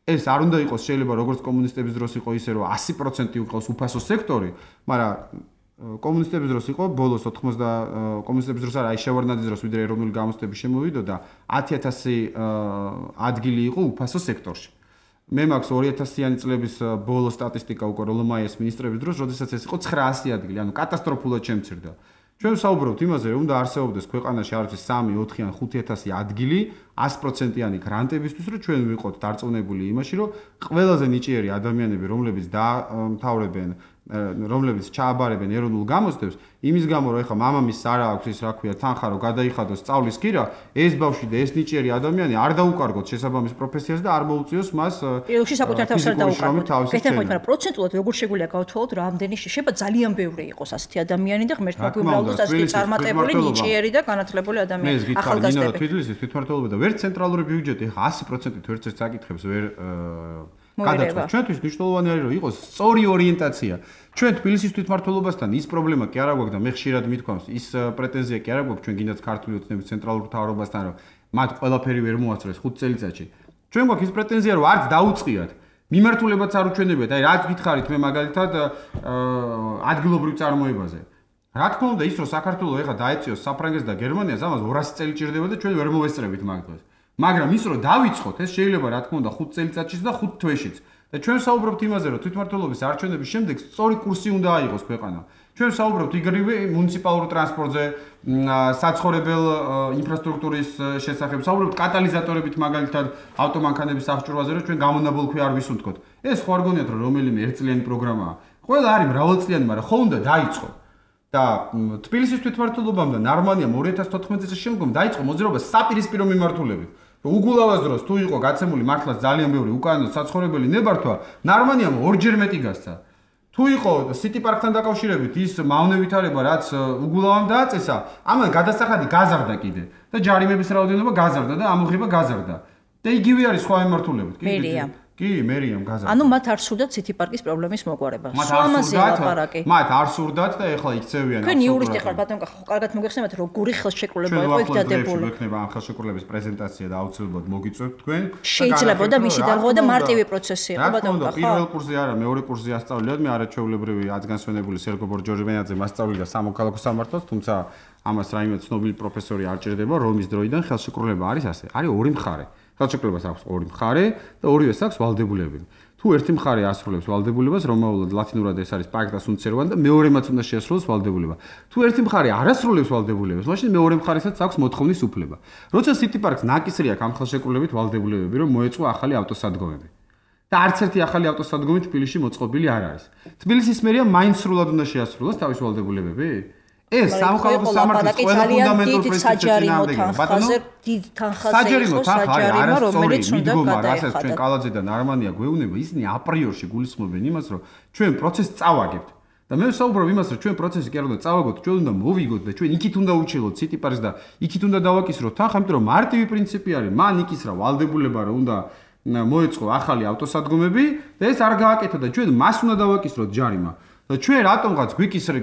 ეს არ უნდა იყოს შეიძლება როგორც კომუნისტების დროს იყო ისე რომ ასი პროცენტი იყოს უფასო სექტორი, მაგრამ კომუნისტების დროს იყო ბოლოს ოთხმოცდა კომუნისტების დროს არა, აი შევარდნაძის დროს ვიდრე ეროვნული გამოცდები შემოვიდოდა, ათი ათასი ადგილი იყო უფასო სექტორში. მე მაქვს ორი ათასიანი წლების ბოლო სტატისტიკა უკვე როლომაიას მინისტრების დროს, როდესაც ეს იყო ცხრაასი ადგილი, ანუ კატასტროფულად შემცირდა. ჩვენ ვსაუბრობთ იმაზე, რომ უნდა არსებობდეს ქვეყანაში არ ვიცი სამი, ოთხი ან ხუთი ათასი ადგილი ასი პროცენტიანი გრანტებისთვის, რომ ჩვენ ვიყოთ დარწმუნებული იმაში, რომ ყველაზე ნიჭიერი ადამიანები, რომლებიც დაამთავრებენ, რომლებიც ჩააბარებენ ეროვნულ გამოცდებს, იმის გამო რომ ეხა მამამისს არ აქვს ის რა ქვია თანხა რომ გადაიხადოს სწავლის კირა, ეს ბავშვი და ეს ნიჭიერი ადამიანი არ დაუკარგოთ შესაბამის პროფესიას და არ მოუწიოს მას პირველში საკუთარ თავს არ დაუკარგოთ. გეთახმებით, მაგრამ პროცენტულად როგორ შეგვიძლია გავთვალოთ, რამდენი შეიძლება ძალიან ბევრი იყოს ასეთი ადამიანი და ღმერთმა გვიმრავლოს ასეთი წარმატებული, ნიჭიერი და განათლებული ადამიანი. ახალგაზრდები. თვითლის თვითმმართველობა და ვერც ცენტრალური ბიუჯეტი ეხა ასი პროცენტით ვერც ერთ საკითხებს ვერ გადაწყვეტს. ჩვენთვის მნიშვნელოვანი არის რომ იყოს სწორი ორიენტაცია. ჩვენ თბილისის თვითმმართველობასთან ის პრობლემა კი არა გვაქვს და მე ხშირად მithქვამს, ის პრეტენზია კი არა გვაქვს ჩვენ გინდათ ქართული ოცნების ცენტრალურ მთავრობასთან რომ მათ ყველაფერი ვერ მოასწრეს ხუთ წელიწადში. ჩვენ გვაქვს ის პრეტენზია რომ არც დაუწყიათ. მიმართულებაც არ უჩვენებიათ. აი რა გითხარით მე მაგალითად ადგილობრივ წარმოებაზე. რა თქმა უნდა ის რომ საქართველოს ეხა დაეწიოს საფრანგეთს და გერმანიას ამას ორასი წელი ჭირდება და ჩვენ ვერ მოვესწრებით მაგ დღეს. მაგრამ ის რომ დავიწყოთ ეს შეიძლება რა თქმა უნდა ხუთ წელიწადშიც და ხუთ თვეშიც. და ჩვენ საუბრობთ იმაზე რომ თვითმმართველობის არჩევნების შემდეგ სწორი კურსი უნდა აიღოს ქვეყანა. ჩვენ საუბრობთ იგივე მუნიციპალურ ტრანსპორტზე, საცხოვრებელ ინფრასტრუქტურის შესახებ, საუბრობთ კატალიზატორებით მაგალითად ავტომანქანების აღჭურვაზე, რომ ჩვენ გამონაბოლქვი არ ვისუნთქოთ. ეს ხო არ გონიათ რომ რომელიმე ერთწლიანი პროგრამაა. ყველა არის მრავალწლიანი, მაგრამ ხო უნდა დაიწყო. და თბილისის თვითმმართველობამ და ნარმანიამ ორი ათას თოთხმეტი წლის შემდგომ დაიწყო მოძრაობა საპირისპირო მიმართულებით. უგულავას დროს თუ იყო გაცემული მართლაც ძალიან ბევრი უკანონო საცხოვრებელი ნებართვა, ნარმანიამ ორჯერ მეტი გასცა. თუ იყო სიტი პარკთან დაკავშირებით ის მავნე ვითარება, რაც უგულავამ დააწესა, ამან გადასახადი გაზარდა კიდე და ჯარიმების რაოდენობა გაზარდა და ამოღება გაზარდა. და იგივე არის სხვა მიმართულებით. მერია. კი, მერიამ გაზარდა. ანუ მათ არ სურდათ სიტი პარკის პრობლემის მოგვარება. სულამაზე ლაპარაკი. მათ არ სურდათ და ეხლა იქცევიან. თქვენ იურისტი ხართ, ბატონო, ხო კარგად მოგეხსენებათ, რომ გური ხელშეკრულება იყო იქ დადებული. შეგვექნება ამ ხელშეკრულების პრეზენტაცია და აუცილებლად მოგიწვევთ თქვენ. შეიძლება და მისი დალღვა და მარტივი პროცესი იყო, ბატონო, ხო? პირველ კურსზე არა, მეორე კურსზე ასწავლეთ, მე არაჩვეულებრივი აცგანსვენებული სერგო ბორჯორჟიანიძე მასწავლიდა სამოქალაქო სამართალს, თუმცა ამას რაიმე ცნობილი პროფესორი არ ჭირდება, რომის დროიდან ხელშეკრულება არის ასე. არის ორი მხარე. ხელშეკრულებას აქვს ორი მხარე და ორივეს აქვს ვალდებულებები. თუ ერთი მხარე ასრულებს ვალდებულებას, რომაულად ლათინურად ეს არის pacta sunt servanda და მეორემაც უნდა შეასრულოს ვალდებულება. თუ ერთი მხარე არ ასრულებს ვალდებულებას, მაშინ მეორე მხარესაც აქვს მოთხოვნის უფლება. როცა City Park-ს ნაკისრი აქვს ამ ხელშეკრულებით ვალდებულებები, რომ მოეწყო ახალი ავტოსადგომები. და არც ერთი ახალი ავტოსადგომი თბილისში მოწყობილი არ არის. თბილისის მერია მაინც სრულად უნდა შეასრულოს თავის ვალდებულებები? ეს სამოქალაქო სამართლის ყველა ფუნდამენტურ პრინციპს წინააღმდეგია. ბატონო, დიდ თანხაზე იყო საჯარიმო, რომელიც უნდა გადაიხადა. ჩვენ კალაძე და ნარმანია გვეუბნება, ისინი აპრიორში გულისხმობენ იმას, რომ ჩვენ პროცესს წავაგებთ. და მე ვსაუბრობ იმას, რომ ჩვენ პროცესი კი არ უნდა წავაგოთ, ჩვენ უნდა მოვიგოთ და ჩვენ იქით უნდა უჩილოთ City Park-ს და იქით უნდა დავაკისროთ თანხა, იმიტომ რომ მარტივი პრინციპი არის, მან იქისრა ვალდებულება, რომ უნდა მოეწყო ახალი ავტოსადგომები და ეს არ გააკეთა და ჩვენ მას უნდა დავაკისროთ ჯარიმა. და ჩვენ რატომღაც გვიკისრე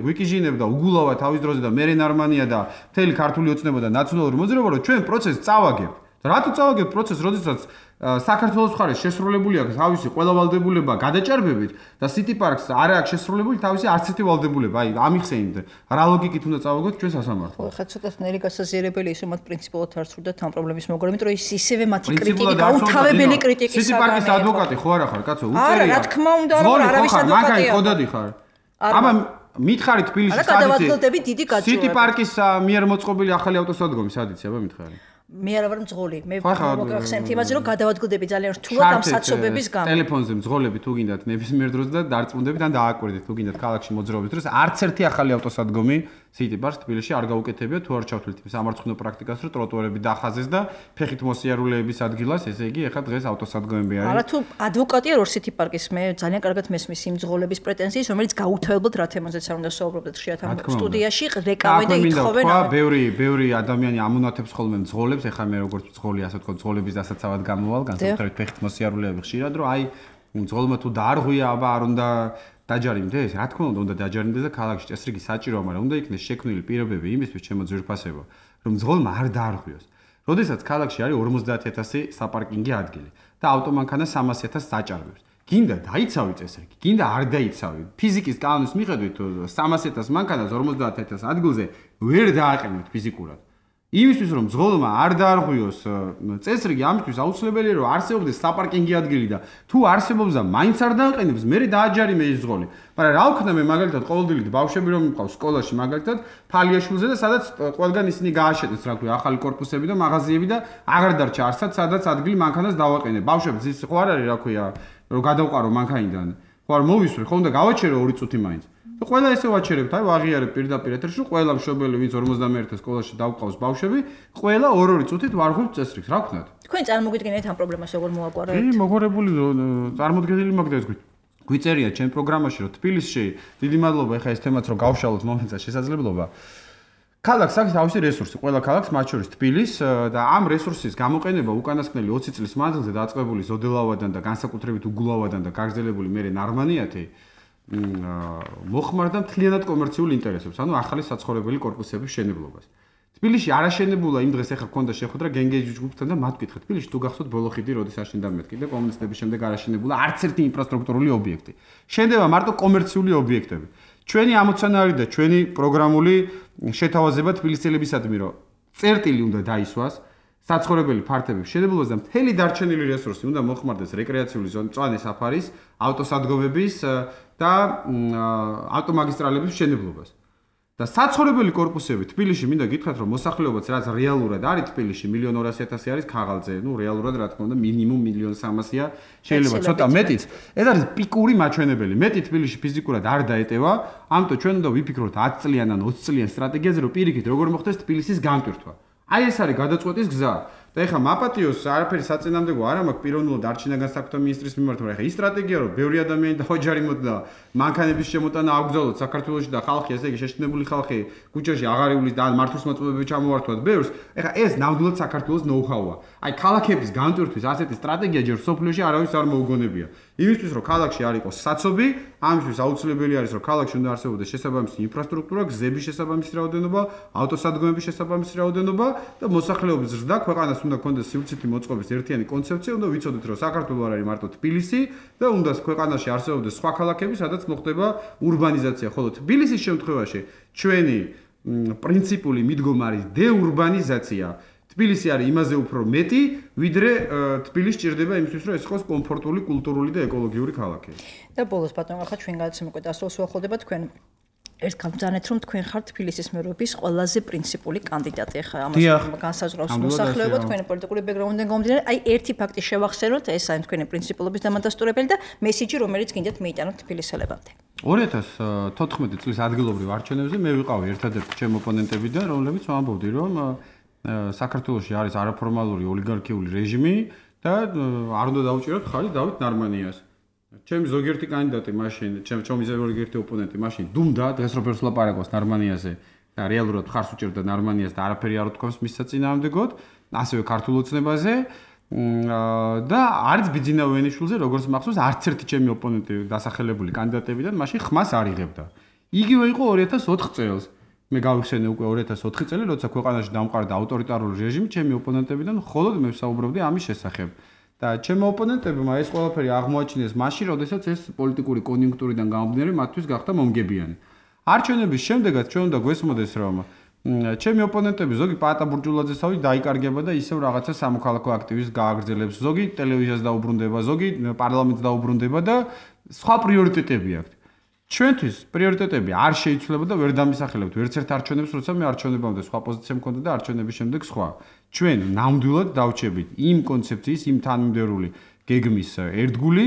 გვიკიჟინებ და უგულავა თავის დროზე და მერე ნარმანია და მთელი ქართული ოცნება და ნაციონალური მოძრაობა რომ ჩვენ პროცესს წავაგებთ. რატო წავაგებთ პროცესს, როდესაც საქართველოს მხარეს შესრულებული აქვს თავისი ყველა ვალდებულება გადაჭარბებით და City Park-ს არ აქვს შესრულებული თავისი არც ერთი ვალდებულება. აი, ამიხსენით, რა ლოგიკით უნდა წავაგოთ ჩვენ სასამართლოს. ხო, ცოტა ნელი გასაზიარებელი ის რომ მათ პრინციპულად არ სურდათ ამ პრობლემის მოგვარება, იმიტომ რომ ის ისევე მათი კრიტიკა, უთავებელი კრიტიკის City Park-ის ადვოკატი ხო არა ხარ, კაცო, უწერია. არა, რა თქმა უნდა, რომ არავის ადვოკატია. მაგარი ხოდადი ხარ. აბა მითხარით თბილისში სადიცე. არა, გადავადგილდები დიდი გაჭირვება. City Park-ის მიერ მოწყობილი ახალი ავტოსადგომი სადიცე, აბა მითხარი. მე არა ვარ მძღოლი. მე მოგახსენეთ იმაზე, რომ გადავადგილდები ძალიან რთულად ამ საცობების გამო. ტელეფონზე მძღოლები თუ გინდათ ნებისმიერ დროს და დარწმუნდებით ან დააკვირდით თუ გინდათ ქალაქში მოძრაობის დროს არც ერთი ახალი ავტოსადგომი City Park-ს თბილისში არ გაუკეთებია თუ არ ჩავთვლით სამარცხნო პრაქტიკას, რომ ტროტუარები დახაზეს და ფეხით მოსიარულეების ადგილას, ესე იგი, ეხლა დღეს ავტოსადგომები არის. არა თუ ადვოკატია რო City Park-ის მე ძალიან კარგად მესმის იმ მძღოლების პრეტენზიას, რომელიც გაუთავებლად რა თემაზეც არ უნდა საუბრობდეთ ხშირად ამ სტუდიაში, რეკავენ და ითხოვენ. ხო, ბევრი ბევრი ადამიანი ამონათებს ხოლმე მძღოლებს, ეხლა მე როგორც მძღოლი, ასე ვთქვათ, მძღოლების დასაცავად გამოვალ, განსაკუთრებით ფეხით მოსიარულეები ხშირად, რომ აი მძღოლმა თუ დაარღვია, აბა არ უნდა დაჯარიმდეს, რა თქმა უნდა, უნდა დაჯარიმდეს და ქალაქში წესრიგი საჭიროა, მაგრამ უნდა იქნეს შექმნილი პირობები იმისთვის ჩემო ძვირფასებო, რომ მძღოლმა არ დაარღვიოს. როდესაც ქალაქში არის ორმოცდაათი ათასი საპარკინგი ადგილი და ავტომანქანა სამას ათასს დაჭარბებს. გინდა დაიცავი წესრიგი, გინდა არ დაიცავი. ფიზიკის კანონის მიხედვით სამას ათას მანქანას ორმოცდაათ ათას ადგილზე ვერ დააყენებთ ფიზიკურად. იმისთვის რომ ძღოლმა არ დაარღვიოს წესრიგი, ამისთვის აუცილებელია რომ არსებობდეს საპარკინგი ადგილი და თუ არსებობს და მაინც არ დააყენებს, მე დააჯარიმე ის ძღოლი. მაგრამ რა ვქნა მე მაგალითად ყოველდღიურად ბავშვები რომ მყავს სკოლაში მაგალითად ფალიაშვილზე და სადაც ყველგან ისინი გააშენეს რა ქვია ახალი კორპუსები და მაღაზიები და აღარ დარჩა არსად სადაც ადგილი მანქანას დავაყენე. ბავშვებს ის ხო არ არის რა ქვია რომ გადავყარო მანქანიდან. ხო არ მოვისვრი, ხო უნდა გავაჩერო ორი წუთი მაინც. და ყველა ესე ვაჩერებთ, აი ვაღიარებ პირდაპირ ეთერში, ყველა მშობელი ვინც ორმოცდამეერთე სკოლაში დავყავს ბავშვები, ყველა ორ-ორი წუთით ვარღვევთ წესრიგს, რა ვქნათ? თქვენ წარმოგიდგენთ ამ პრობლემას როგორ მოაგვარებთ? კი, მოგვარებული წარმოდგენილი მაგდას გვით. გვიწერია ჩემ პროგრამაში, რომ თბილისში დიდი მადლობა ეხა ეს თემაც რომ გავშალოთ მომენტზე შესაძლებლობა. ქალაქს აქვს თავისი რესურსი, ყველა ქალაქს მათ შორის თბილის და ამ რესურსის გამოყენება უკანასკნელი ოცი წლის მანძილზე დაწყებული ზოდელავადან და განსაკუთრებით უგულავადან და გაგრძელებული მერე ნარმანიათი მოხმარდა მთლიანად კომერციულ ინტერესებს, ანუ ახალი საცხოვრებელი კორპუსების შენებლობას. თბილისში არაშენებულა იმ დღეს ეხა ქონდა შეხვედრა გენგეჯის ჯგუფთან და მათ ვკითხეთ, თბილისში თუ გახსოვთ ბოლო ხიდი როდის აშენდა მეთქი და კომუნისტების შემდეგ არაშენებულა არც ერთი ინფრასტრუქტურული ობიექტი. შენდება მარტო კომერციული ობიექტები. ჩვენი ამოცანა და ჩვენი პროგრამული შეთავაზება თბილისელებისადმი რომ წერტილი უნდა დაისვას საცხოვრებელი ფართების შენებლობას და მთელი დარჩენილი რესურსი უნდა მოხმარდეს რეკრეაციული ზონის, მწვანე საფარის, ავტოსადგომების და ავტომაგისტრალების შენებლობას. და საცხოვრებელი კორპუსები თბილისში მინდა გითხრათ რომ მოსახლეობაც რაც რეალურად არის თბილისში მილიონ ორასი ათასი არის ქაღალდზე, ნუ რეალურად რა თქმა უნდა მინიმუმ მილიონ სამასია, შეიძლება ცოტა მეტიც. ეს არის პიკური მაჩვენებელი. მეტი თბილისში ფიზიკურად არ დაეტევა, ამიტომ ჩვენ უნდა ვიფიქროთ ათი წლიან ან ოცი წლიან სტრატეგიაზე, რომ პირიქით როგორ მოხდეს თბილისის გამტვირთვა. აი ეს არის გადაწყვეტის გზა. და ეხლა მაპატიოს არაფერი საწინააღმდეგო არ მაქვს პიროვნულად არჩინაგან საქმეთა მინისტრის მიმართ, მაგრამ ეხლა ის სტრატეგია რომ ბევრი ადამიანი დაოჯარი მოდა მანქანების შემოტანა აგზავნოთ საქართველოში და ხალხი ესე იგი შეშინებული ხალხი ქუჩაში აღარ ივლის და მართვის მოწმობები ჩამოვართვათ ბევრს, ეხლა ეს ნამდვილად საქართველოს ნოუ-ჰაუა. აი ქალაქების გამტვირთვის ასეთი სტრატეგია ჯერ სოფლიოში არავის არ მოუგონებია. იმისთვის რომ ქალაქში არ იყოს საცობი, ამისთვის აუცილებელი არის რომ ქალაქში უნდა არსებობდეს შესაბამისი ინფრასტრუქტურა, გზების შესაბამისი რაოდენობა, ავტოსადგომების შესაბამისი რაოდენობა და მოსახლეობის ზრდა ქვეყანას უნდა კონდეს სივრცითი მოწყობის ერთიანი კონცეფცია, უნდა ვიცოდეთ რომ საქართველო არ არის მარტო თბილისი და უნდა ქვეყანაში არსებობდეს სხვა ქალაქები, სადაც მოხდება ურბანიზაცია, ხოლო თბილისის შემთხვევაში ჩვენი პრინციპული მიდგომა არის დეურბანიზაცია. თბილისი არის იმაზე უფრო მეტი, ვიდრე თბილისი ჭირდება იმისთვის, რომ ეს იყოს კომფორტული, კულტურული და ეკოლოგიური ქალაქი. და ბოლოს ბატონო, ახლა ჩვენ გადაცემა უკვე დასრულს უახლოვდება, თქვენ ერთ გამბრძანეთ რომ თქვენ ხართ თბილისის მერობის ყველაზე პრინციპული კანდიდატი. ახლა ამას განსაზღვრავს მოსახლეობა, თქვენი პოლიტიკური ბექგრაუნდიდან გამომდინარე, აი ერთი ფაქტი შევახსენოთ, ეს არის თქვენი პრინციპულობის დამადასტურებელი და მესიჯი, რომელიც გინდათ მიიტანოთ თბილისელებამდე. ორი ათას თოთხმეტი წლის ადგილობრივ არჩევნებზე მე ვიყავი ერთადერთი ჩემ ოპონენტებიდან, რომლებიც ვამბობდი, რომ საქართველოში არის არაფორმალური ოლიგარქიული რეჟიმი და არ უნდა დაუჭიროთ ხალი დავით ნარმანიას. ჩემი ზოგიერთი კანდიდატი მაშინ, ჩემი ჩემი ზოგიერთი ოპონენტი მაშინ დუმდა დღეს რო ფერს ლაპარაკობს ნარმანიაზე და რეალურად ხარს უჭერდა ნარმანიას და არაფერი არ უთქვამს მის საწინააღმდეგოდ, ასევე ქართულ ოცნებაზე და არც ბიძინა ვენიშვილზე, როგორც მახსოვს, არც ერთი ჩემი ოპონენტი დასახელებული კანდიდატებიდან მაშინ ხმას არ იღებდა. იგივე იყო ორი ათას ოთხ წელს. მე გავიხსენე უკვე ორი ათას ოთხი წელი, როცა ქვეყანაში დამყარდა ავტორიტარული რეჟიმი, ჩემი ოპონენტებიდან მხოლოდ მე ვსაუბრობდი ამის შესახებ. და ჩემი ოპონენტებმა ეს ყველაფერი აღმოაჩინეს მაშინ, როდესაც ეს პოლიტიკური კონიუნქტურიდან გამომდინარე მათთვის გახდა მომგებიანი. არჩევნების შემდეგაც ჩვენ უნდა გვესმოდეს, რომ ჩემი ოპონენტები ზოგი პაატა ბურჯულაძესავი დაიკარგება და ისევ რაღაცა სამოქალაქო აქტივისტს გააგრძელებს, ზოგი ტელევიზიას დაუბრუნდება, ზოგი პარლამენტს დაუბრუნდება და სხვა პრიორიტეტები აქვს. ჩვენთვის პრიორიტეტები არ შეიცვლება და ვერ დამისახელებთ ვერც ერთ არჩევნებს, როცა მე არჩევნებამდე სხვა პოზიცია მქონდა და არჩევნების შემდეგ სხვა. ჩვენ ნამდვილად დავჩებით იმ კონცეფციის, იმ თანმიმდევრული გეგმის ერთგული,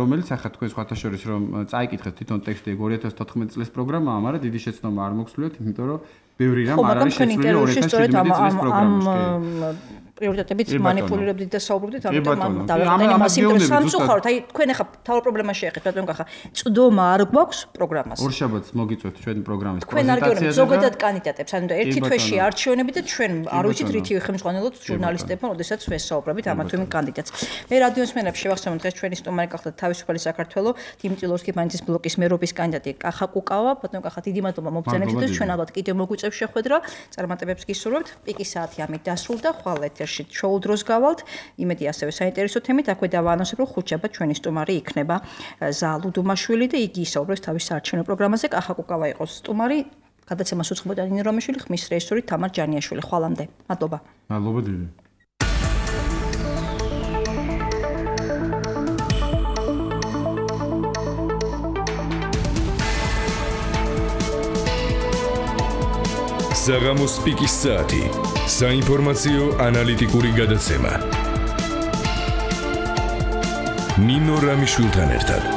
რომელიც ახლა თქვენ სხვათა შორის რომ წაიკითხეთ თვითონ ტექსტი ორი ათას თოთხმეტი წლის პროგრამაა, მაგრამ დიდი შეცდომა არ მოგსვლიათ, იმიტომ რომ ბევრი რამ არ არის შეცვლილი ორი ათას შვიდმეტი წლის პროგრამაში. პრიორიტეტებით მანიპულირებდით და საუბრობდით, ამიტომ დავაყენე მას ინტერესს სამწუხაროდ, აი თქვენ ახლა თავ პრობლემას შეეხეთ, ბატონო ხა, წვდომა არ გვაქვს პროგრამას. ორშაბათს მოგიწევთ ჩვენი პროგრამის პრეზენტაციაზე. თქვენ არ გეუბნებით ზოგადად კანდიდატებს, ანუ და ერთი თვეში არჩევნები და ჩვენ არ ვიცით რითი ხელმძღვანელოთ ჟურნალისტებმა, როდესაც ვესაუბრებით ამ თუ იმ კანდიდატს. მე რადიოს მენებს შევახსენოთ დღეს ჩვენი სტუმარი გახლდათ თავისუფალი საქართველოს დიმიტრი ბანჯის ბლოკის მერობის კანდიდატი კახა კუკავა, ბატონო კახა დიდი მადლობა მოგზაინებისთვის, ჩვენ ალბათ კიდევ მოგვიწევს შეხვედრა, წარმატებებს გისურვებთ. პიკის საათი ამით დასრულდა, ხვალ ეთერში ეთერში შოუ დროს გავალთ. იმედი ასევე საინტერესო თემით აქვე დავაანონსებ, რომ ხუთშაბათ ჩვენი სტუმარი იქნება ზალუ დუმაშვილი და იგი ისაუბრებს თავის საარჩევნო პროგრამაზე. კახაკუკავა იყოს სტუმარი. გადაცემას უცხობოდა ნინო რომიშვილი, ხმის რეჟისორი თამარ ჯანიაშვილი. ხვალამდე. მადლობა. მადლობა დიდი. საღამოს პიკის საათი. საინფორმაციო ანალიტიკური გადაცემა. ნინო რომიშვილთან ერთად.